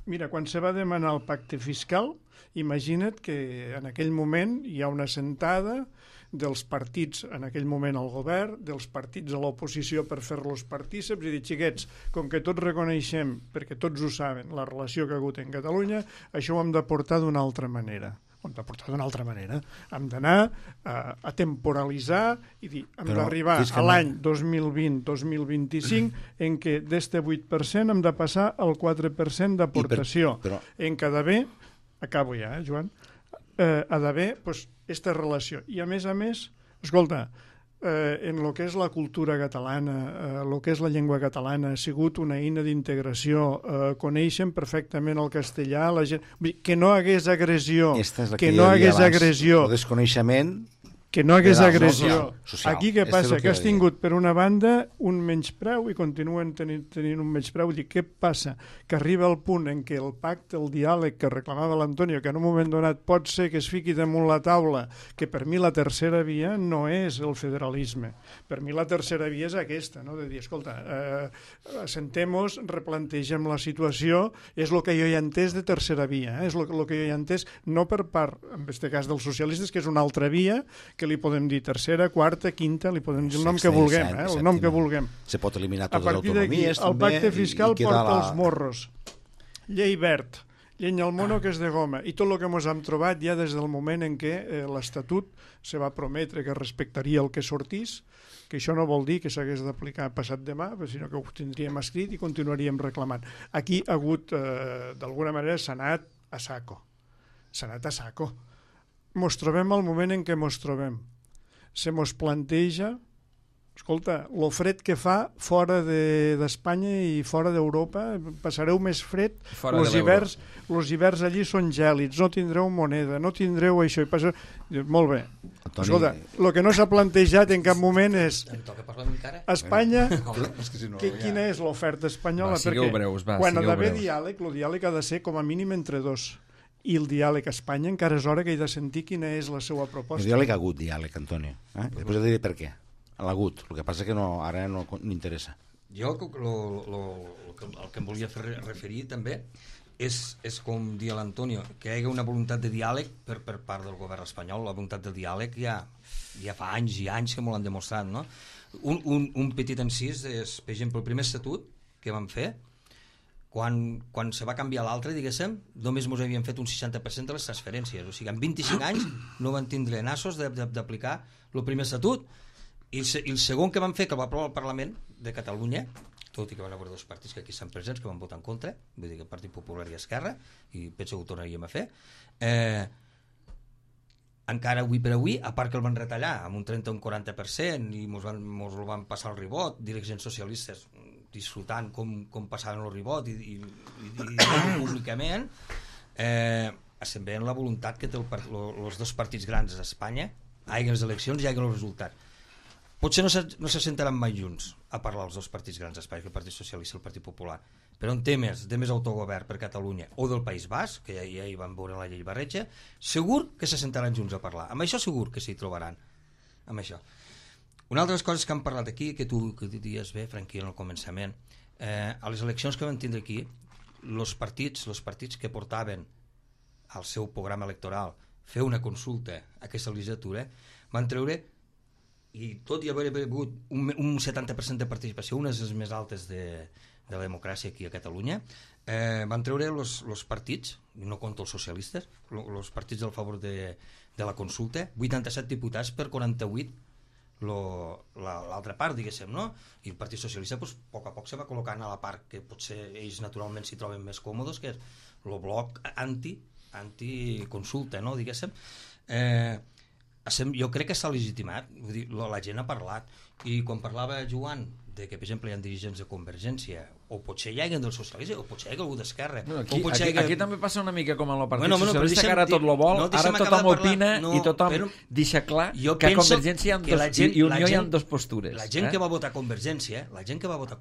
mira, quan se va demanar el pacte fiscal, imagina't que en aquell moment hi ha una sentada dels partits, en aquell moment al govern, dels partits a l'oposició per fer-los partíceps i dir, xiquets, com que tots reconeixem, perquè tots ho saben, la relació que ha hagut en Catalunya, això ho hem de portar d'una altra manera. Hem d'anar a temporalitzar i dir, hem d'arribar a l'any 2020-2025 en què d'este 8% hem de passar al 4% d'aportació. En què ha d'haver, acabo ja, Joan, ha d'haver aquesta relació. I a més, escolta, en el que és la cultura catalana, el que és la llengua catalana, ha sigut una eina d'integració, coneixen perfectament el castellà, la gent... Que no hagués agressió, el desconeixement... Que no hagués agressió. Aquí què passa? Que has tingut, per una banda, un menyspreu i continuen tenint un menyspreu. Què passa? Que arriba al punt en què el pacte, el diàleg que reclamava l'Antonio, que en un moment donat pot ser que es fiqui damunt la taula, que per mi la tercera via no és el federalisme. Per mi la tercera via és aquesta, no? De dir, escolta, assentem-nos, replantegem la situació, és el que jo he entès de tercera via, és el que jo he entès, no per part, en aquest cas dels socialistes, que és una altra via, que li podem dir tercera, quarta, quinta, li podem dir el nom que vulguem, el nom que vulguem. Se pot eliminar totes les autonomies. A partir d'aquí, el pacte fiscal porta els morros. Llei verd, llenya al mono que és de goma, i tot el que ens hem trobat ja des del moment en què l'Estatut se va prometre que respectaria el que sortís, que això no vol dir que s'hagués d'aplicar passat demà, sinó que ho tindríem escrit i continuaríem reclamant. Aquí ha hagut, d'alguna manera, s'ha anat a saco. Mos trobem al moment en què mos trobem. Se mos planteja, escolta, lo fred que fa fora d'Espanya i fora d'Europa, passareu més fred, els hiverns allí són gèlids, no tindreu moneda, no tindreu això. Molt bé. Escolta, el que no s'ha plantejat en cap moment és Espanya, quina és l'oferta espanyola? Perquè quan ha d'haver diàleg, el diàleg ha de ser com a mínim entre dos. I el diàleg a Espanya encara és hora que he de sentir quina és la seva proposta. El diàleg ha hagut diàleg, Antonio. Després et diré per què. L'ha hagut. El que passa que ara no m'interessa. Jo el que em volia fer referir també és com dia l'Antonio, que hi hagi una voluntat de diàleg per part del govern espanyol. La voluntat de diàleg ja fa anys i anys que m'ho l'han demostrat, no? Un petit encís és, per exemple, el primer estatut que vam fer, quan se va canviar l'altre, diguéssim, només ens havien fet un 60% de les transferències. O sigui, en 25 anys no van tindre nassos d'aplicar el primer estatut. I el segon que van fer, que el va aprovar el Parlament de Catalunya, tot i que van haver dos partits que aquí estan presents, que van votar en contra, vull dir que el Partit Popular i Esquerra, i penso que ho tornaríem a fer, encara avui per avui, a part que el van retallar amb un 30 o un 40% i ens el van passar al ribot, dirigents socialistes disfrutant com passaven el ribot i públicament, estem veient la voluntat que té els dos partits grans d'Espanya, hi ha les eleccions i hi ha el resultat. Potser no se sentaran mai junts a parlar els dos partits grans d'Espanya, el Partit Socialista i el Partit Popular, però en temes de més autogovern per Catalunya o del País Basc, que ja hi van veure la llei Barretxa, segur que se sentaran junts a parlar. Amb això segur que s'hi trobaran. Amb això. Una altra de les coses que han parlat aquí, que tu dies bé, Franqui, en el començament, a les eleccions que van tindre aquí, els partits que portaven al seu programa electoral fer una consulta a aquesta legislatura, van treure, i tot i haver hagut un 70% de participació, unes de les més altes de la democràcia aquí a Catalunya, van treure els partits, no compto els socialistes, els partits del favor de la consulta, 87 diputats per 48 l'altra part, diguéssim, no? I el Partit Socialista, a poc a poc se va col·locant a la part que potser ells naturalment s'hi troben més còmodes, que és el bloc anti-consulta, no? Diguéssim. Jo crec que s'ha legitimat, vull dir, la gent ha parlat, i quan parlava Joan de que, per exemple, hi ha dirigents de Convergència, o potser hi hagi dels socialistes, o potser hi hagi algú d'Esquerra. Aquí també passa una mica com en el Partit Socialista, que ara tot lo vol, ara tothom opina i tothom deixa clar que a Convergència i Unió hi ha dues postures. La gent que va votar Convergència, va votar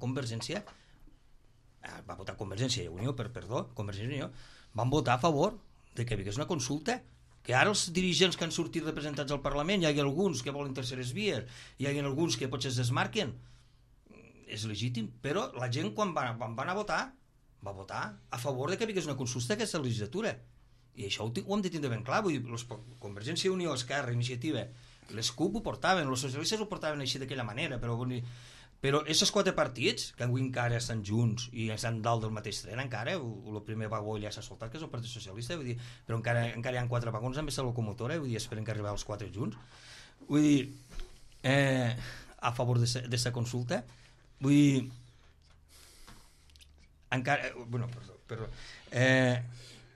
Convergència i Unió, Convergència i Unió, van votar a favor de que hi hagués una consulta, que ara els dirigents que han sortit representats al Parlament, hi ha alguns que volen terceres vies, hi ha alguns que potser es desmarquen, és legítim, però la gent quan van anar a votar va votar a favor de que hi hagués una consulta aquesta legislatura, i això ho hem de tindre ben clar. Vull dir, Convergència i Unió, Esquerra, Iniciativa, les CUP ho portaven, els socialistes ho portaven així d'aquella manera, però aquests 4 partits que avui encara estan junts i estan dalt del mateix tren, encara el primer vagó ja s'ha soltat, que és el Partit Socialista, vull dir, però encara hi ha 4 vagons amb aquesta locomotora, vull dir, esperen que arribin els 4 junts, vull dir, a favor d'aquesta consulta. Vull dir, encara, perdó,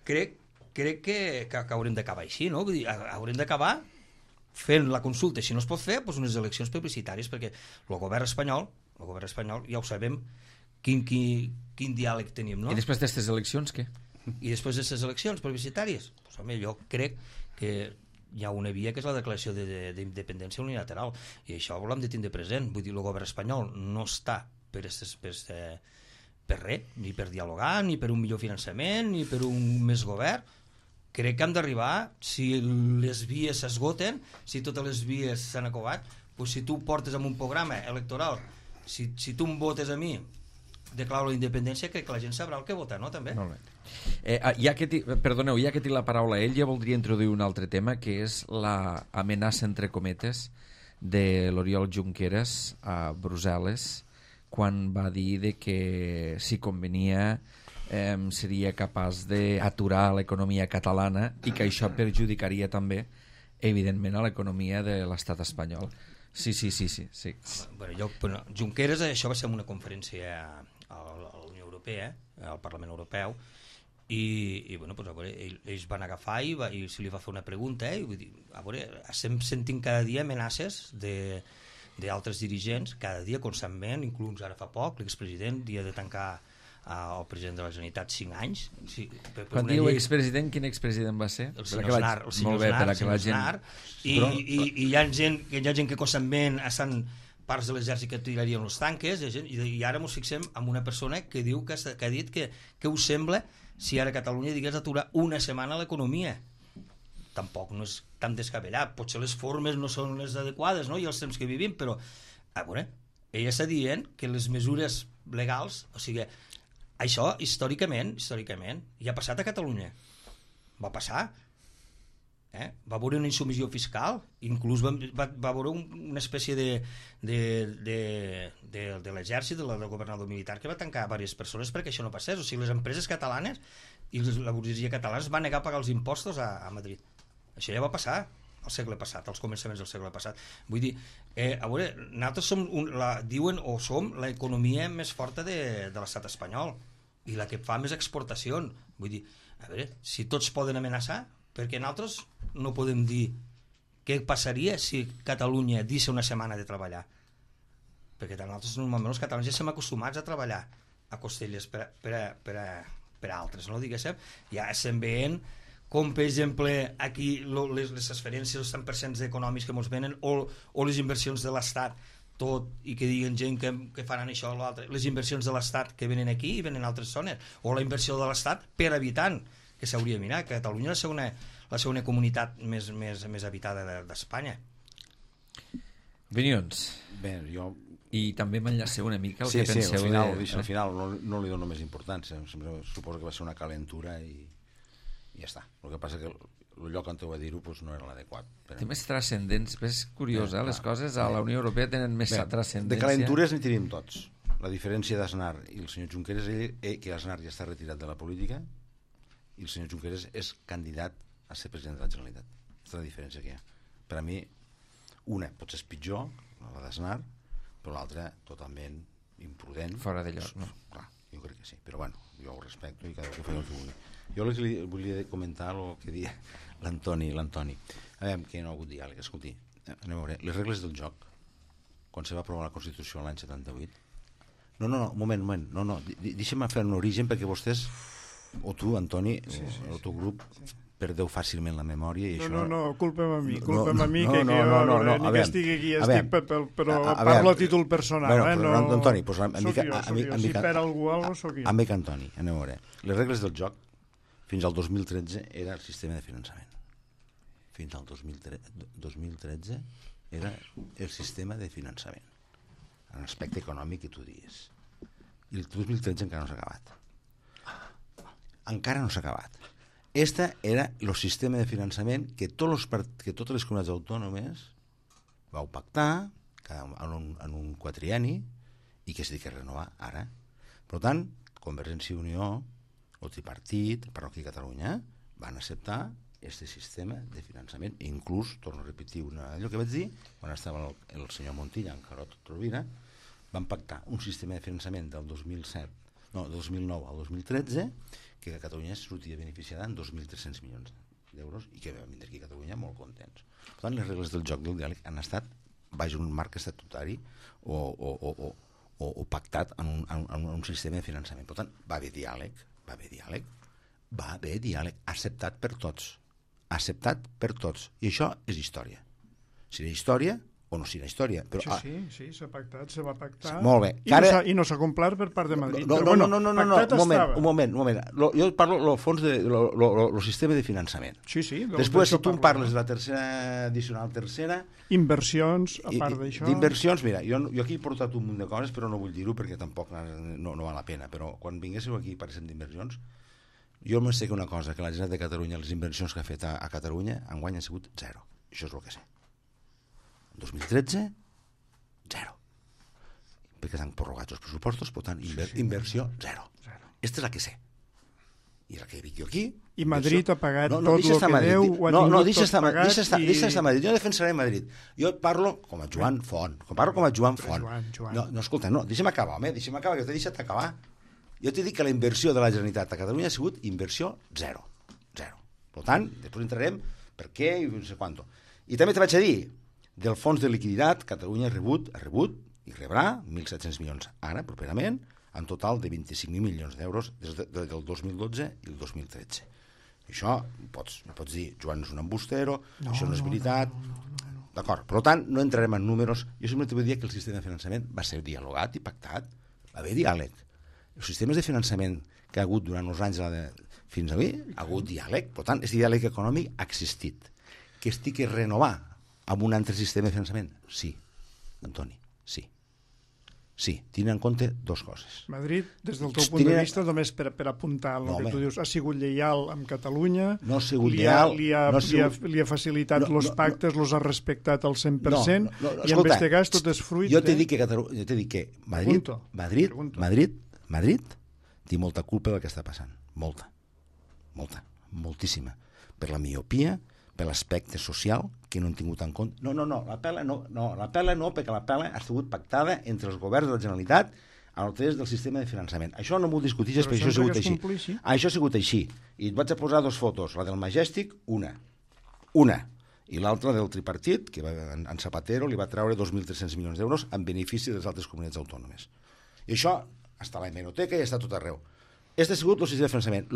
crec que haurem d'acabar així, no? Vull dir, haurem d'acabar fent la consulta, si no es pot fer, doncs unes eleccions plebiscitàries, perquè el govern espanyol, ja ho sabem, quin diàleg tenim, no? I després d'aquestes eleccions, què? I després d'aquestes eleccions plebiscitàries, doncs, home, jo crec que hi ha una via que és la declaració d'independència unilateral, i això ho hem de tindre present. Vull dir, el govern espanyol no està per res, ni per dialogar, ni per un millor finançament, ni per un més govern. Crec que hem d'arribar, si les vies s'esgoten, si totes les vies s'han acabat, doncs si tu portes amb un programa electoral, si tu em votes a mi, declaro la independència, crec que la gent sabrà el que vota, no? També. Molt bé. Ja que tinc la paraula a ell, ja voldria introduir un altre tema, que és l'amenaça, entre cometes, de l'Oriol Junqueras a Brussel·les, quan va dir que si convenia seria capaç d'aturar l'economia catalana i que això perjudicaria també, evidentment, a l'economia de l'estat espanyol. Sí. Bueno, Junqueras, això va ser una conferència a la Unió Europea, al Parlament Europeu, i bueno, pues, a veure, ells van agafar i se li va fer una pregunta, i vull dir, a veure, estem sentint cada dia amenaces d'altres dirigents, cada dia constantment, inclús ara fa poc l'expresident dia de tancar el president de la Generalitat 5 anys. Sí, quan diu expresident, quin expresident va ser? El senyor Aznar. I hi ha gent que constantment estan parts de l'exèrcit que tirarien els tanques, i ara ens fixem en una persona que diu que ha dit que us sembla si ara Catalunya digués aturar una setmana l'economia. Tampoc no és tan descabellat, potser les formes no són les adequades, no? I els temps que vivim, però a veure, ella està dient que les mesures legals, o sigui, això històricament ja ha passat a Catalunya, va passar, va haver una insubmissió fiscal, inclús va haver una espècie de l'exèrcit, del governador militar, que va tancar diverses persones perquè això no passés. O sigui, les empreses catalanes i la burgesia catalana es van negar a pagar els impostos a Madrid. Això ja va passar al segle passat, als començaments del segle passat. Vull dir, a veure, nosaltres som l'economia més forta de l'estat espanyol i la que fa més exportacions. Vull dir, a veure, si tots poden amenaçar, perquè nosaltres no podem dir què passaria si Catalunya deixa una setmana de treballar, perquè nosaltres normalment els catalans ja estem acostumats a treballar a costelles per altres, no? Diguéssim, ja estem veient com per exemple aquí les transferències, els 100% econòmics que ens venen, o les inversions de l'Estat, tot, i que diguen gent que faran això o l'altre, les inversions de l'Estat que venen aquí i venen a altres zones, o la inversió de l'Estat per habitant, que s'hauria de mirar, que Catalunya és la segona comunitat més habitada d'Espanya. Opinions? Bé, jo... I també m'enllaceu una mica el que penseu. Sí, al final no li dono més importància. Suposo que va ser una calentura i ja està. El que passa que el lloc on ho va dir-ho no era l'adequat. Té més transcendents. És curiós, les coses a la Unió Europea tenen més transcendència. De calentures n'hi tenim tots. La diferència d'Aznar i el senyor Junqueras és que Aznar ja està retirat de la política i el senyor Junqueras és candidat a ser president de la Generalitat. És la diferència que hi ha. Per a mi, una potser és pitjor, la d'Aznar, però l'altra totalment imprudent. Fora de lloc, no? Clar, jo crec que sí, però bueno, jo ho respecto i cada que fa el que vulgui. Jo el que li volia comentar el que dia l'Antoni. A veure, que no ha hagut diàleg, escolti, anem a veure, les regles del joc, quan se va aprovar la Constitució l'any 78, No, un moment. No. Deixa'm fer un origen perquè vostès, o tu, Antoni, o el teu grup, perdeu fàcilment la memòria i això... No, culpa'm a mi, que jo ni que estigui aquí estic, però parlo a títol personal, no... Antoni, soc jo, si per algú soc jo. Amic Antoni, anem a veure. Les regles del joc fins al 2013 era el sistema de finançament. Fins al 2013 era el sistema de finançament, en l'aspecte econòmic que tu dius. I el 2013 encara no s'ha acabat. Encara no s'ha acabat. Este era el sistema de finançament que totes les comunitats autònomes vau pactar en un quatrienni i que s'ha de renovar ara. Per tant, Convergència i Unió, el tripartit, per aquí a Catalunya, van acceptar aquest sistema de finançament. I inclús, torno a repetir allò que vaig dir, quan estava el senyor Montilla en Carot Rovira, van pactar un sistema de finançament del 2009 al 2013 que a Catalunya sortia beneficiada en 2.300 milions d'euros i que vam vindre aquí a Catalunya molt contents. Per tant, les regles del joc del diàleg han estat baix un marc estatutari o pactat en un sistema de finançament. Per tant, va haver diàleg, acceptat per tots. I això és història. Serà història o no serà història. Però, sí, s'ha pactat, se va pactar. Molt bé. I no s'ha complert per part de Madrid. No, un moment. Jo parlo del fons del sistema de finançament. Sí. Després, si tu em parles de la tercera addicional tercera... Inversions, a part d'això... D'inversions, mira, jo aquí he portat un munt de coses, però no vull dir-ho perquè tampoc no val la pena. Però quan vinguéssiu aquí i parléssim d'inversions, jo em sé que una cosa, que la Generalitat de Catalunya, les inversions que ha fet a Catalunya, enguany han sigut 0. Això és el que sé. 2013, 0. Perquè s'han prorrogat els pressupostos, per tant, inversió 0. Aquesta és la que sé. I la que dic jo aquí... I Madrid ha pagat tot el que deu, ho ha tingut tot pagat... Deixa estar Madrid. Jo defensaré Madrid. Jo parlo com a Joan Font. No, escolta, deixa'm acabar, que t'he deixat acabar. Jo t'he dit que la inversió de la Generalitat a Catalunya ha sigut inversió 0. Per tant, després entrarem per què i no sé quant. I també te vaig a dir, del fons de liquiditat, Catalunya ha rebut i rebrà 1.700 milions ara, properament, en total de 25.000 milions d'euros des del 2012 i el 2013. Això pots dir, Joan és un embustero, això no és veritat... D'acord, per tant, no entrarem en números. Jo sempre t'ho vull dir que el sistema de finançament va ser dialogat i pactat, va haver diàleg. Els sistemes de finançament que ha hagut durant els anys fins avui, ha hagut diàleg. Per tant, aquest diàleg econòmic ha existit. Que estic a renovar amb un altre sistema de finançament? Sí, Antoni, sí. Sí, tenint en compte dues coses. Madrid, des del teu punt de vista, només per apuntar el que tu dius, ha sigut lleial amb Catalunya, no ha sigut lleial, li ha facilitat els pactes, els ha respectat al 100%, i en aquest cas tot és fruit... Jo t'he dit que Madrid té molta culpa del que està passant. Moltíssima. Per la miopia, per l'aspecte social que no han tingut en compte. La pela no, perquè la pela ha sigut pactada entre els governs de la Generalitat a través del sistema de finançament. Això no m'ho discuteixes, perquè això ha sigut així. Això ha sigut així. I et vaig a posar dues fotos, la del Majestic, una, i l'altra del tripartit, que en Zapatero li va treure 2.300 milions d'euros en benefici de les altres comunitats autònomes. I això està a la hemeroteca i està tot arreu. Aquest ha sigut el sistema de finançament.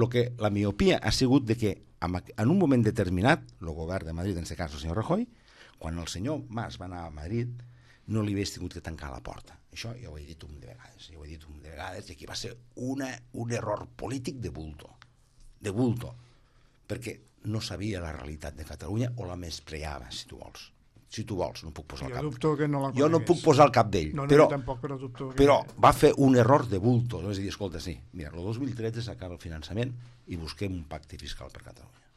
La miopia ha sigut de que en un moment determinat, el govern de Madrid, en aquest cas el senyor Rajoy, quan el senyor Mas va anar a Madrid, no li hagués tingut que tancar la porta. Això ja ho he dit un de vegades, i aquí va ser un error polític de bulto, perquè no sabia la realitat de Catalunya o la menyspreava, si tu vols. No puc posar el cap. Jo no puc posar el cap d'ell, però va fer un error de bulto. És a dir, escolta, sí, mira, el 2013 s'acaba el finançament i busquem un pacte fiscal per Catalunya.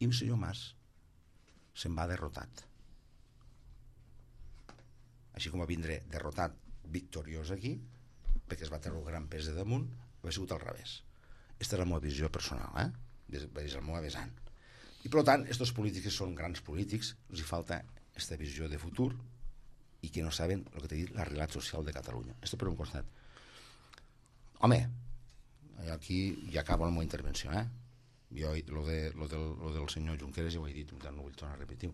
I el senyor Mas se'n va derrotat. Així com va vindre derrotat victoriós aquí, perquè es va treure el gran pes de damunt, ha sigut al revés. Aquesta és la meva visió personal, des del meu avesant. I per tant, aquests polítics són grans polítics, els hi falta aquesta visió de futur i que no saben el que t'he dit, la realitat social de Catalunya. Esto per un costat. Home, aquí ja acabo la meva intervenció, Jo, lo del senyor Junqueras ja ho he dit, no vull tornar a repetir.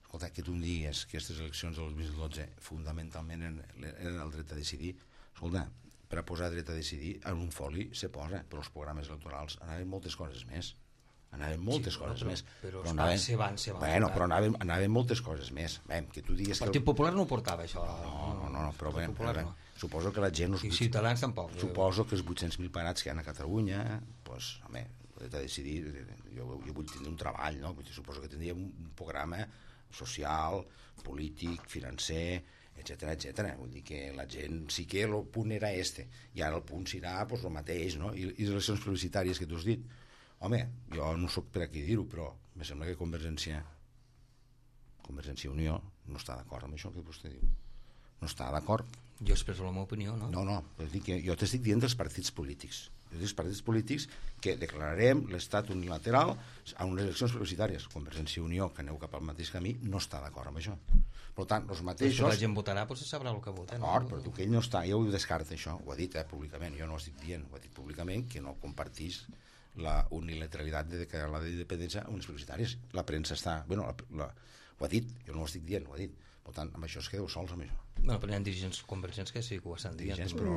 Escolta, que tu em digues que aquestes eleccions del 2012 fundamentalment eren el dret a decidir, Escolta, per a posar dret a decidir, en un foli se posa, però els programes electorals anaven moltes coses més. Anaven moltes coses més. Però anaven, se van però anaven moltes coses més. Que tu digues el Partit Popular no ho portava, això. No, però suposo que la gent... I Ciutadans tampoc. Suposo que els 800.000 parats que hi ha a Catalunya, doncs, home, dret a decidir, jo vull tenir un treball, no? Suposo que tindria un programa social, polític, financer, etcètera. Vull dir que la gent sí que el punt era i ara el punt serà el mateix, no? I les eleccions publicitàries que tu has dit, home, jo no sóc per aquí dir-ho, però em sembla que Convergència i Unió no està d'acord amb això que vostè diu. No està d'acord. Jo expresso la meva opinió, no? No, jo t'estic dient dels partits polítics. Els partits polítics que declararem l'estat unilateral a unes eleccions publicitàries. Convergència i Unió, que aneu cap al mateix camí, no està d'acord amb això. Per tant, els mateixos... La gent votarà, però se sabrà el que vota. D'acord, però tu que ell no està, ja ho descarta, això. Ho ha dit públicament, jo no ho estic dient. Ho ha dit públicament que no compartís la unilateralitat de declarar la d'independència a unes publicitàries. La premsa està... Bueno, ho ha dit, jo no ho estic dient, ho ha dit. Per tant, amb això es quedeu sols, amb això. Bueno, però hi ha dirigents convergents que sí que ho estan dient. Però...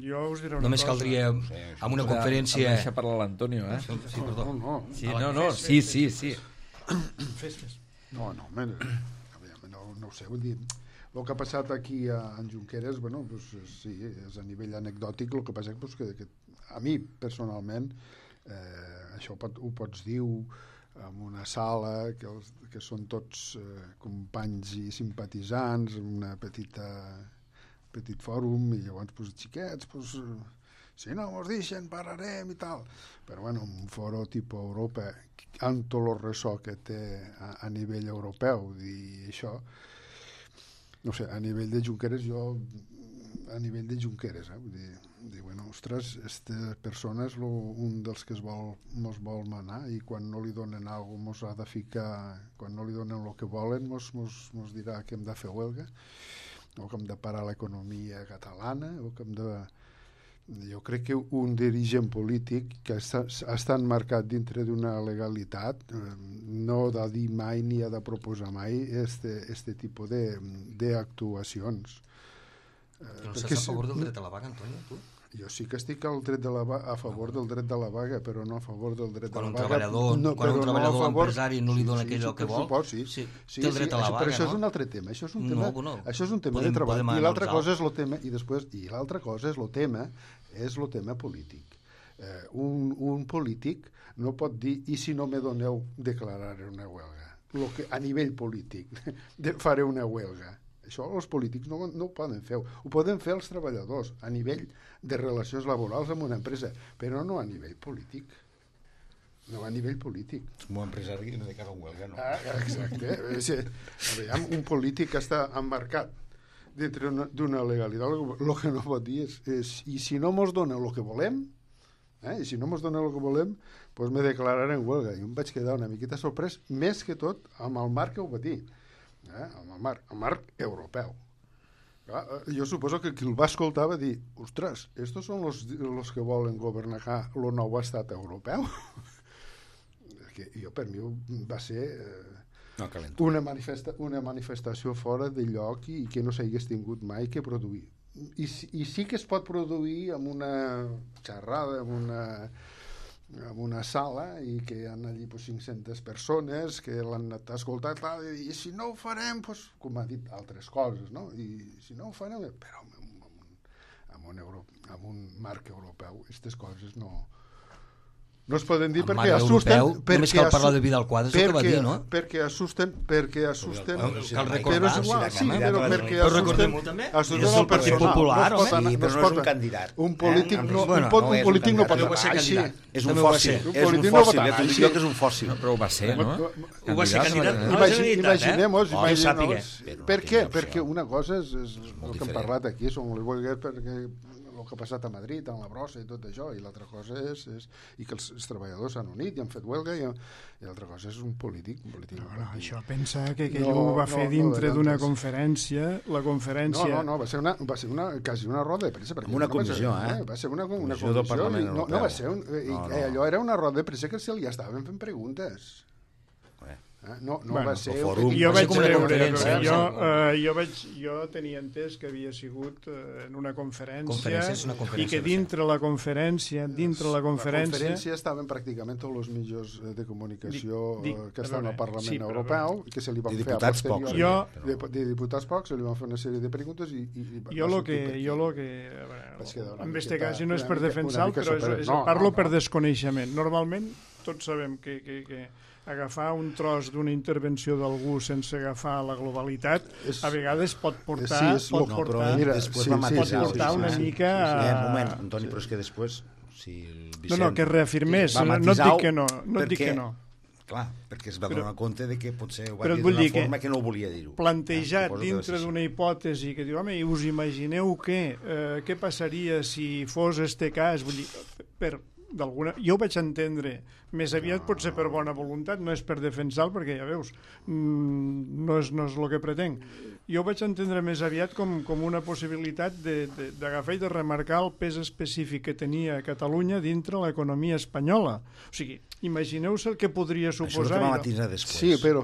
Jo us diré una Només cosa. caldria amb una conferència... Em deixa parlar l'Antonio, eh? Sí, perdó. Sí. Fes. No, no ho sé, vull dir, el que ha passat aquí en Junqueras, bueno, pues, sí, és a nivell anecdòtic, el que passa és que a mi, personalment, això ho pots dir en una sala que són tots companys i simpatitzants, en una petit fòrum, i llavors, pues, xiquets, pues, si no mos deixen, pararem i tal. Però, bueno, un foro tipus Europa, amb tot el ressò que té a nivell europeu, i això, no sé, a nivell de Junqueras, vull dir, bueno, ostres, aquesta persona és un dels que mos vol manar, i quan no li donen alguna cosa mos ha de ficar, quan no li donen el que volen mos dirà que hem de fer huelga, o que hem de parar l'economia catalana, o que hem de... Jo crec que un dirigent polític que ha estat marcat dintre d'una legalitat no ha de dir mai ni ha de proposar mai este tipus d'actuacions. No estàs a favor del dret a la vaga, Antonio, tu? Jo sí que estic a favor del dret de la vaga, però no a favor del dret de la vaga. Quan un treballador empresari no li dona aquell que vol, sí, té el dret a la vaga, però això és un altre tema. Això és un tema de treball. I l'altra cosa és el tema, és el tema polític. Un polític no pot dir, i si no me doneu, declararé una huelga. A nivell polític, faré una huelga. Això els polítics no ho poden fer. Ho poden fer els treballadors a nivell de relacions laborals amb una empresa, però no a nivell polític. No a nivell polític. Com a empresari no de cara a huelga, no? Exacte. Un polític que està emmarcat dintre d'una legalitat, el que no pot dir és i si no mos dona el que volem, i si no mos dona el que volem, doncs me declararé en huelga. I em vaig quedar una miqueta sorprès, més que tot amb el marc que ho va dir. El marc europeu. Jo suposo que qui el va escoltar va dir, ostres, estos són los que volen governar el nou estat europeu. Per mi va ser una manifestació fora de lloc i que no s'hagués tingut mai que produir. I sí que es pot produir amb una xerrada, en una sala, i que hi ha allí 500 persones que l'han anat a escoltar, i si no ho farem, com ha dit altres coses, no? I si no ho farem, però amb un marc europeu aquestes coses no es poden dir perquè assusten. Només cal parlar de Vidal Quadras, el que va dir, no? Perquè assusten cal recordar, però perquè assusten el Partit Popular, home. Però no és un candidat. Un polític no pot anar així. És un fòssil. Jo que és un fòssil. Però ho va ser, no? Ho va ser candidat a la Generalitat, Imagineu-vos. Per què? Perquè una cosa és el que hem parlat aquí, són les huelgues perquè el que ha passat a Madrid, amb la brossa i tot això, i l'altra cosa és i que els treballadors s'han unit i han fet huelga, i l'altra cosa és un polític. No, això pensa que ell ho va fer dintre d'una conferència, la conferència... No, va ser quasi una roda de premsa. Una comissió, Va ser una comissió del Parlament Europeu. No va ser allò era una roda de premsa que se li estaven fent preguntes. No Bueno, va ser... fòrum. Jo Va ser vaig com una veure, conferència. jo tenia entès que havia sigut en una conferència, Conferència, és una i conferència, que va ser. dintre la conferència, La conferència estaven pràcticament tots els mitjans de comunicació que estan al Parlament Europeu, que se li van fer a diputats pocs. de diputats pocs, se li van fer una sèrie de preguntes i jo lo que en este cas no és per defensar, però parlo per desconeixement. Normalment tots sabem que agafar un tros d'una intervenció d'algú sense agafar la globalitat a vegades pot portar una mica un moment, Antoni, però és que després que reafirmés, no et dic que no, clar, perquè es va donar compte de que potser ho va però dir d'una forma que no volia dir-ho. Plantejat dintre d'una hipòtesi que diu, home, i us imagineu què passaria si fos este cas? Vull dir, jo ho vaig entendre més aviat potser per bona voluntat, no és per defensar-lo, perquè ja veus, no és el que pretenc. Jo ho vaig entendre més aviat com una possibilitat d'agafar i de remarcar el pes específic que tenia Catalunya dintre l'economia espanyola. O sigui, imagineu-se el que podria suposar... Això va matisar després. Sí, però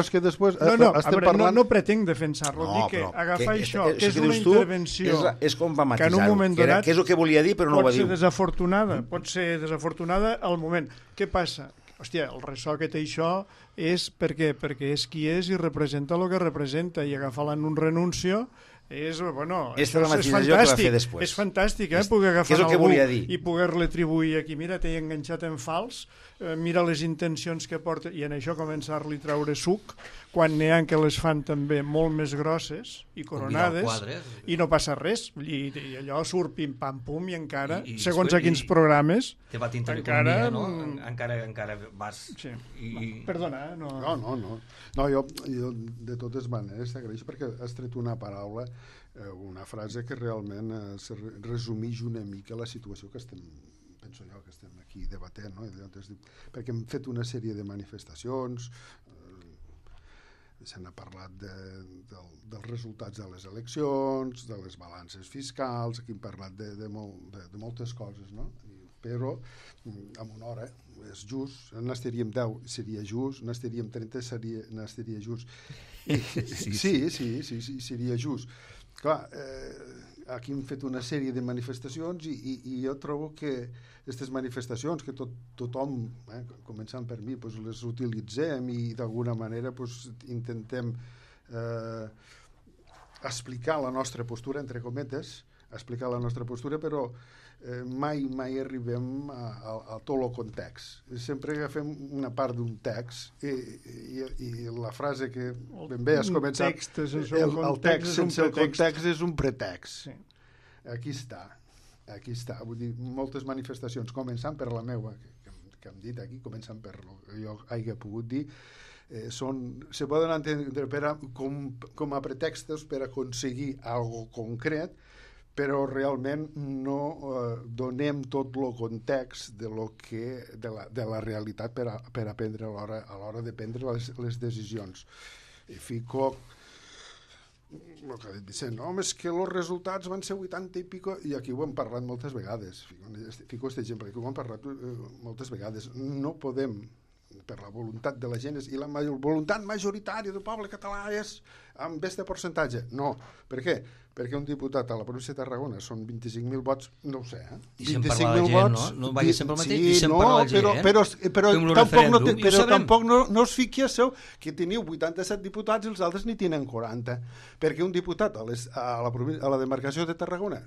és que després... No pretenc defensar-lo, dic que agafar això, que és una intervenció... És com va matisar-ho, que és el que volia dir, però no ho va dir. Pot ser desafortunada al moment. Què passa? Hòstia, el ressò que té això és perquè és qui és i representa el que representa, i agafar-la en un renuncio és fantàstic. És fantàstic, poder agafar algú i poder-li atribuir aquí, mira, t'he enganxat en fals, mira les intencions que porta, i en això començar-li a treure suc, quan n'hi ha que les fan també molt més grosses i coronades, i no passa res, i allò surt pim-pam-pum, i encara, segons a quins programes, encara vas... Perdona, no, jo de totes maneres t'agraeixo perquè has tret una paraula, una frase que realment resumeix una mica la situació que penso jo, que estem aquí debatent, no? Perquè hem fet una sèrie de manifestacions, se n'ha parlat dels resultats de les eleccions, de les balances fiscals, aquí hem parlat de moltes coses, no? Però en una hora és just, n'estaríem 10 seria just, n'estaríem 30 n'estaria just. Sí, seria just. Clar, aquí hem fet una sèrie de manifestacions i jo trobo que aquestes manifestacions que tothom, començant per mi, les utilitzem i d'alguna manera intentem explicar la nostra postura, entre cometes, explicar la nostra postura, però mai arribem a tot el context. Sempre agafem una part d'un text i la frase que ben bé has començat, el text sense el context és un pretext. Aquí està. Vull dir, moltes manifestacions, començant per la meva, que hem dit aquí, començant per el que jo hagi pogut dir, se poden entendre com a pretextos per aconseguir algo concret, però realment no donem tot el context de la realitat per aprendre a l'hora de prendre les decisions. I fico el que ha dit Vicent, és que els resultats van ser 80 i pico, i aquí ho hem parlat moltes vegades, fico aquest exemple, aquí ho hem parlat moltes vegades, no podem, per la voluntat de la gent, i la voluntat majoritària del poble català és amb aquest percentatge. No. Per què? Perquè un diputat a la província de Tarragona són 25.000 vots, no ho sé, I sempre parla la gent, no? No vagi sempre el mateix, i sempre parla la gent, però tampoc no us fiquéssiu que teniu 87 diputats i els altres ni tenen 40, perquè un diputat a la demarcació de Tarragona,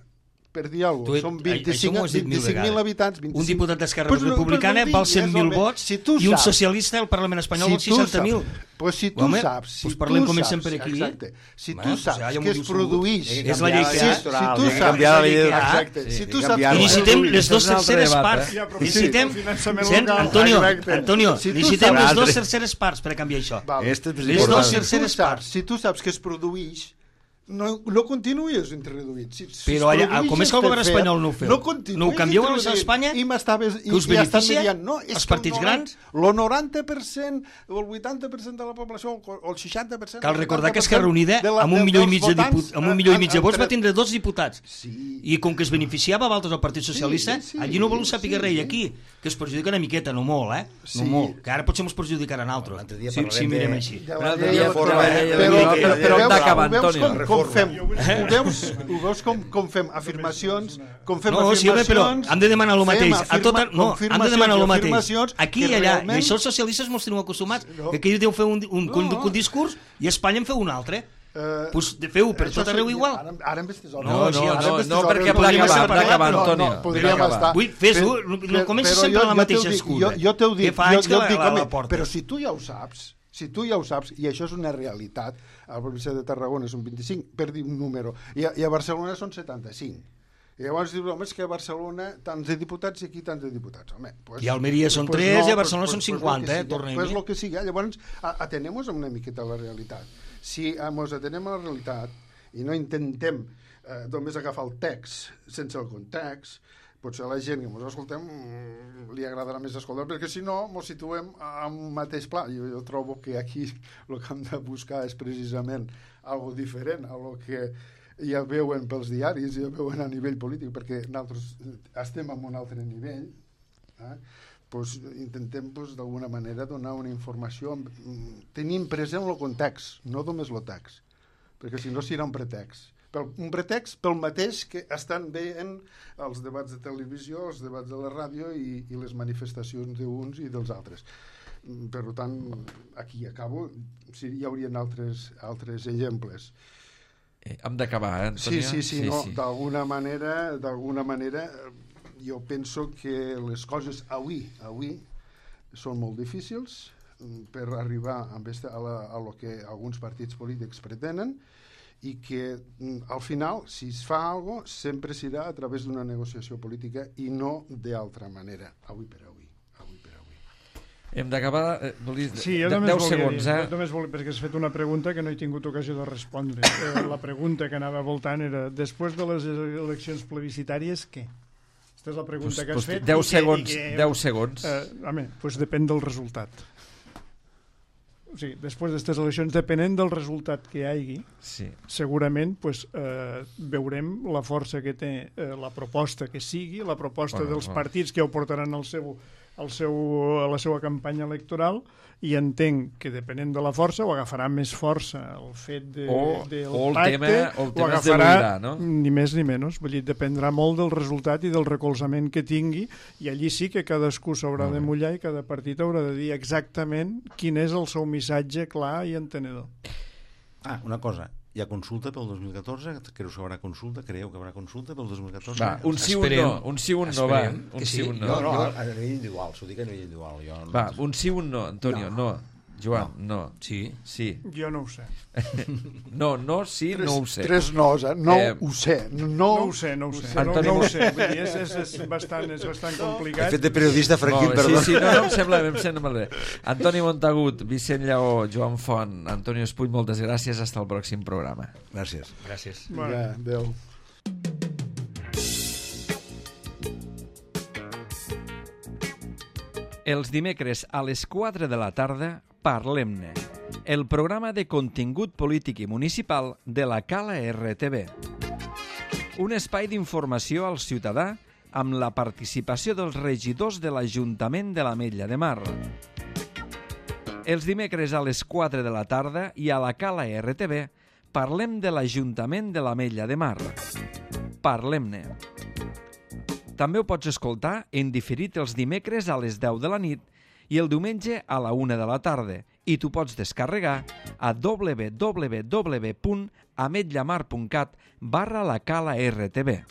per dir alguna cosa, són 25.000 habitants. Un diputat d'Esquerra Republicana val 100.000 vots i un socialista al Parlament espanyol val 60.000. Pues si tu saps, parlem com sempre aquí. Si tu saps que es produeix... És la llei que hi ha. Si tu saps... Si tu saps... I necessitem les dues terceres parts. Necessitem... Antonio, necessitem les dues terceres parts per a canviar això. Les dues terceres parts. Si tu saps que es produeix no continuïs introduït. Però allà, com és que el govern espanyol no ho feu? No ho canvieu a Espanya? I us beneficia no, els partits grans? El 90%, o el 80% de la població, o el 60%... Cal recordar que Esquerra Unida, amb 1,5 milió de vots, va tindre 2 diputats. I com que es beneficiava a altres el Partit Socialista, allí no voleu saber res, i aquí, que es perjudica una miqueta, no molt, No molt, que ara potser ens perjudicaran altres. Si mirem així. Però hem d'acabar, Antonio. Com fem? Ho veus com fem afirmacions? No, sí, però hem de demanar el mateix. Hem de demanar el mateix. Aquí i allà. I això els socialistes ens teniu acostumats. Que aquí deu fer un discurs i a Espanya en feu un altre. Doncs feu per tot arreu igual. Ara en vestes hores. No, perquè podríem acabar, Antonio. Podríem estar. Fes-ho, no comences sempre la mateixa excusa. Jo t'ho dic, home, però si tu ja ho saps, i això és una realitat, a la província de Tarragona és un 25, per dir un número, i a Barcelona són 75. I llavors dius, home, és que a Barcelona tants de diputats i aquí tants de diputats. Home, i a Almeria són 3 i a Barcelona són 50, tornem-hi. Pues el que sigui, llavors atenem-nos una miqueta a la realitat. Si ens atenem a la realitat i no intentem només agafar el text sense el context, potser a la gent que ens escoltem li agradarà més escoltar, perquè si no ens situem en un mateix pla. Jo trobo que aquí el que hem de buscar és precisament algo diferent a lo que ja veuen pels diaris, ja veuen a nivell polític, perquè nosaltres estem en un altre nivell, pues intentem d'alguna manera donar una informació tenint present el context, no només el text, perquè si no serà un pretext. Un pretext pel mateix que estan veient els debats de televisió, els debats de la ràdio i les manifestacions d'uns i dels altres. Per tant, aquí acabo. Hi haurien altres exemples. Hem d'acabar, Antonio? Sí. D'alguna manera, jo penso que les coses avui són molt difícils per arribar a lo que alguns partits polítics pretenen, i que al final, si es fa alguna cosa, sempre serà a través d'una negociació política i no d'altra manera, avui per avui. Hem d'acabar... Sí, jo 10 segons, perquè has fet una pregunta que no he tingut ocasió de respondre. La pregunta que anava voltant era, després de les eleccions plebiscitàries, què? Aquesta és la pregunta que has fet. 10 segons. Home, doncs depèn del resultat. O sigui, després d'aquestes eleccions, depenent del resultat que hi hagi, segurament veurem la força que té la proposta que sigui, la proposta dels partits que ho portaran a la seva campanya electoral, i entenc que depenent de la força o agafarà més força el fet del pacte o agafarà ni més ni menys. Vull dir, dependrà molt del resultat i del recolzament que tingui, i allí sí que cadascú s'haurà de mullar i cada partit haurà de dir exactament quin és el seu missatge clar i entenedor. Una cosa, hi ha consulta pel 2014? Creu que haurà consulta? Creieu que haurà consulta pel 2014? Va, un sí, un no, va. Un sí, un no. No, a nivell individual, s'ho dic a nivell individual. Va, un sí, un no, Antonio, no. Joan, no. Sí. Jo no ho sé. No, sí, no ho sé. 3 nos, no ho sé. No ho sé. Antoni... No ho sé. Vull dir, és bastant complicat. He fet de periodista franquín, perdó. Sí, no, em sembla molt bé. Antoni Montagut, Vicent Lleó, Joan Font, Antonio Espull, moltes gràcies. Hasta el pròxim programa. Gràcies. Adéu. Els dimecres a les 4 de la tarda, Parlem-ne, el programa de contingut polític i municipal de la Cala RTV. Un espai d'informació al ciutadà amb la participació dels regidors de l'Ajuntament de l'Ametlla de Mar. Els dimecres a les 4 de la tarda i a la Cala RTV parlem de l'Ajuntament de l'Ametlla de Mar. Parlem-ne. També ho pots escoltar en diferit els dimecres a les 10 de la nit i el diumenge a la 1 de la tarda, i tu pots descarregar a www.ametllamar.cat/la Cala RTV.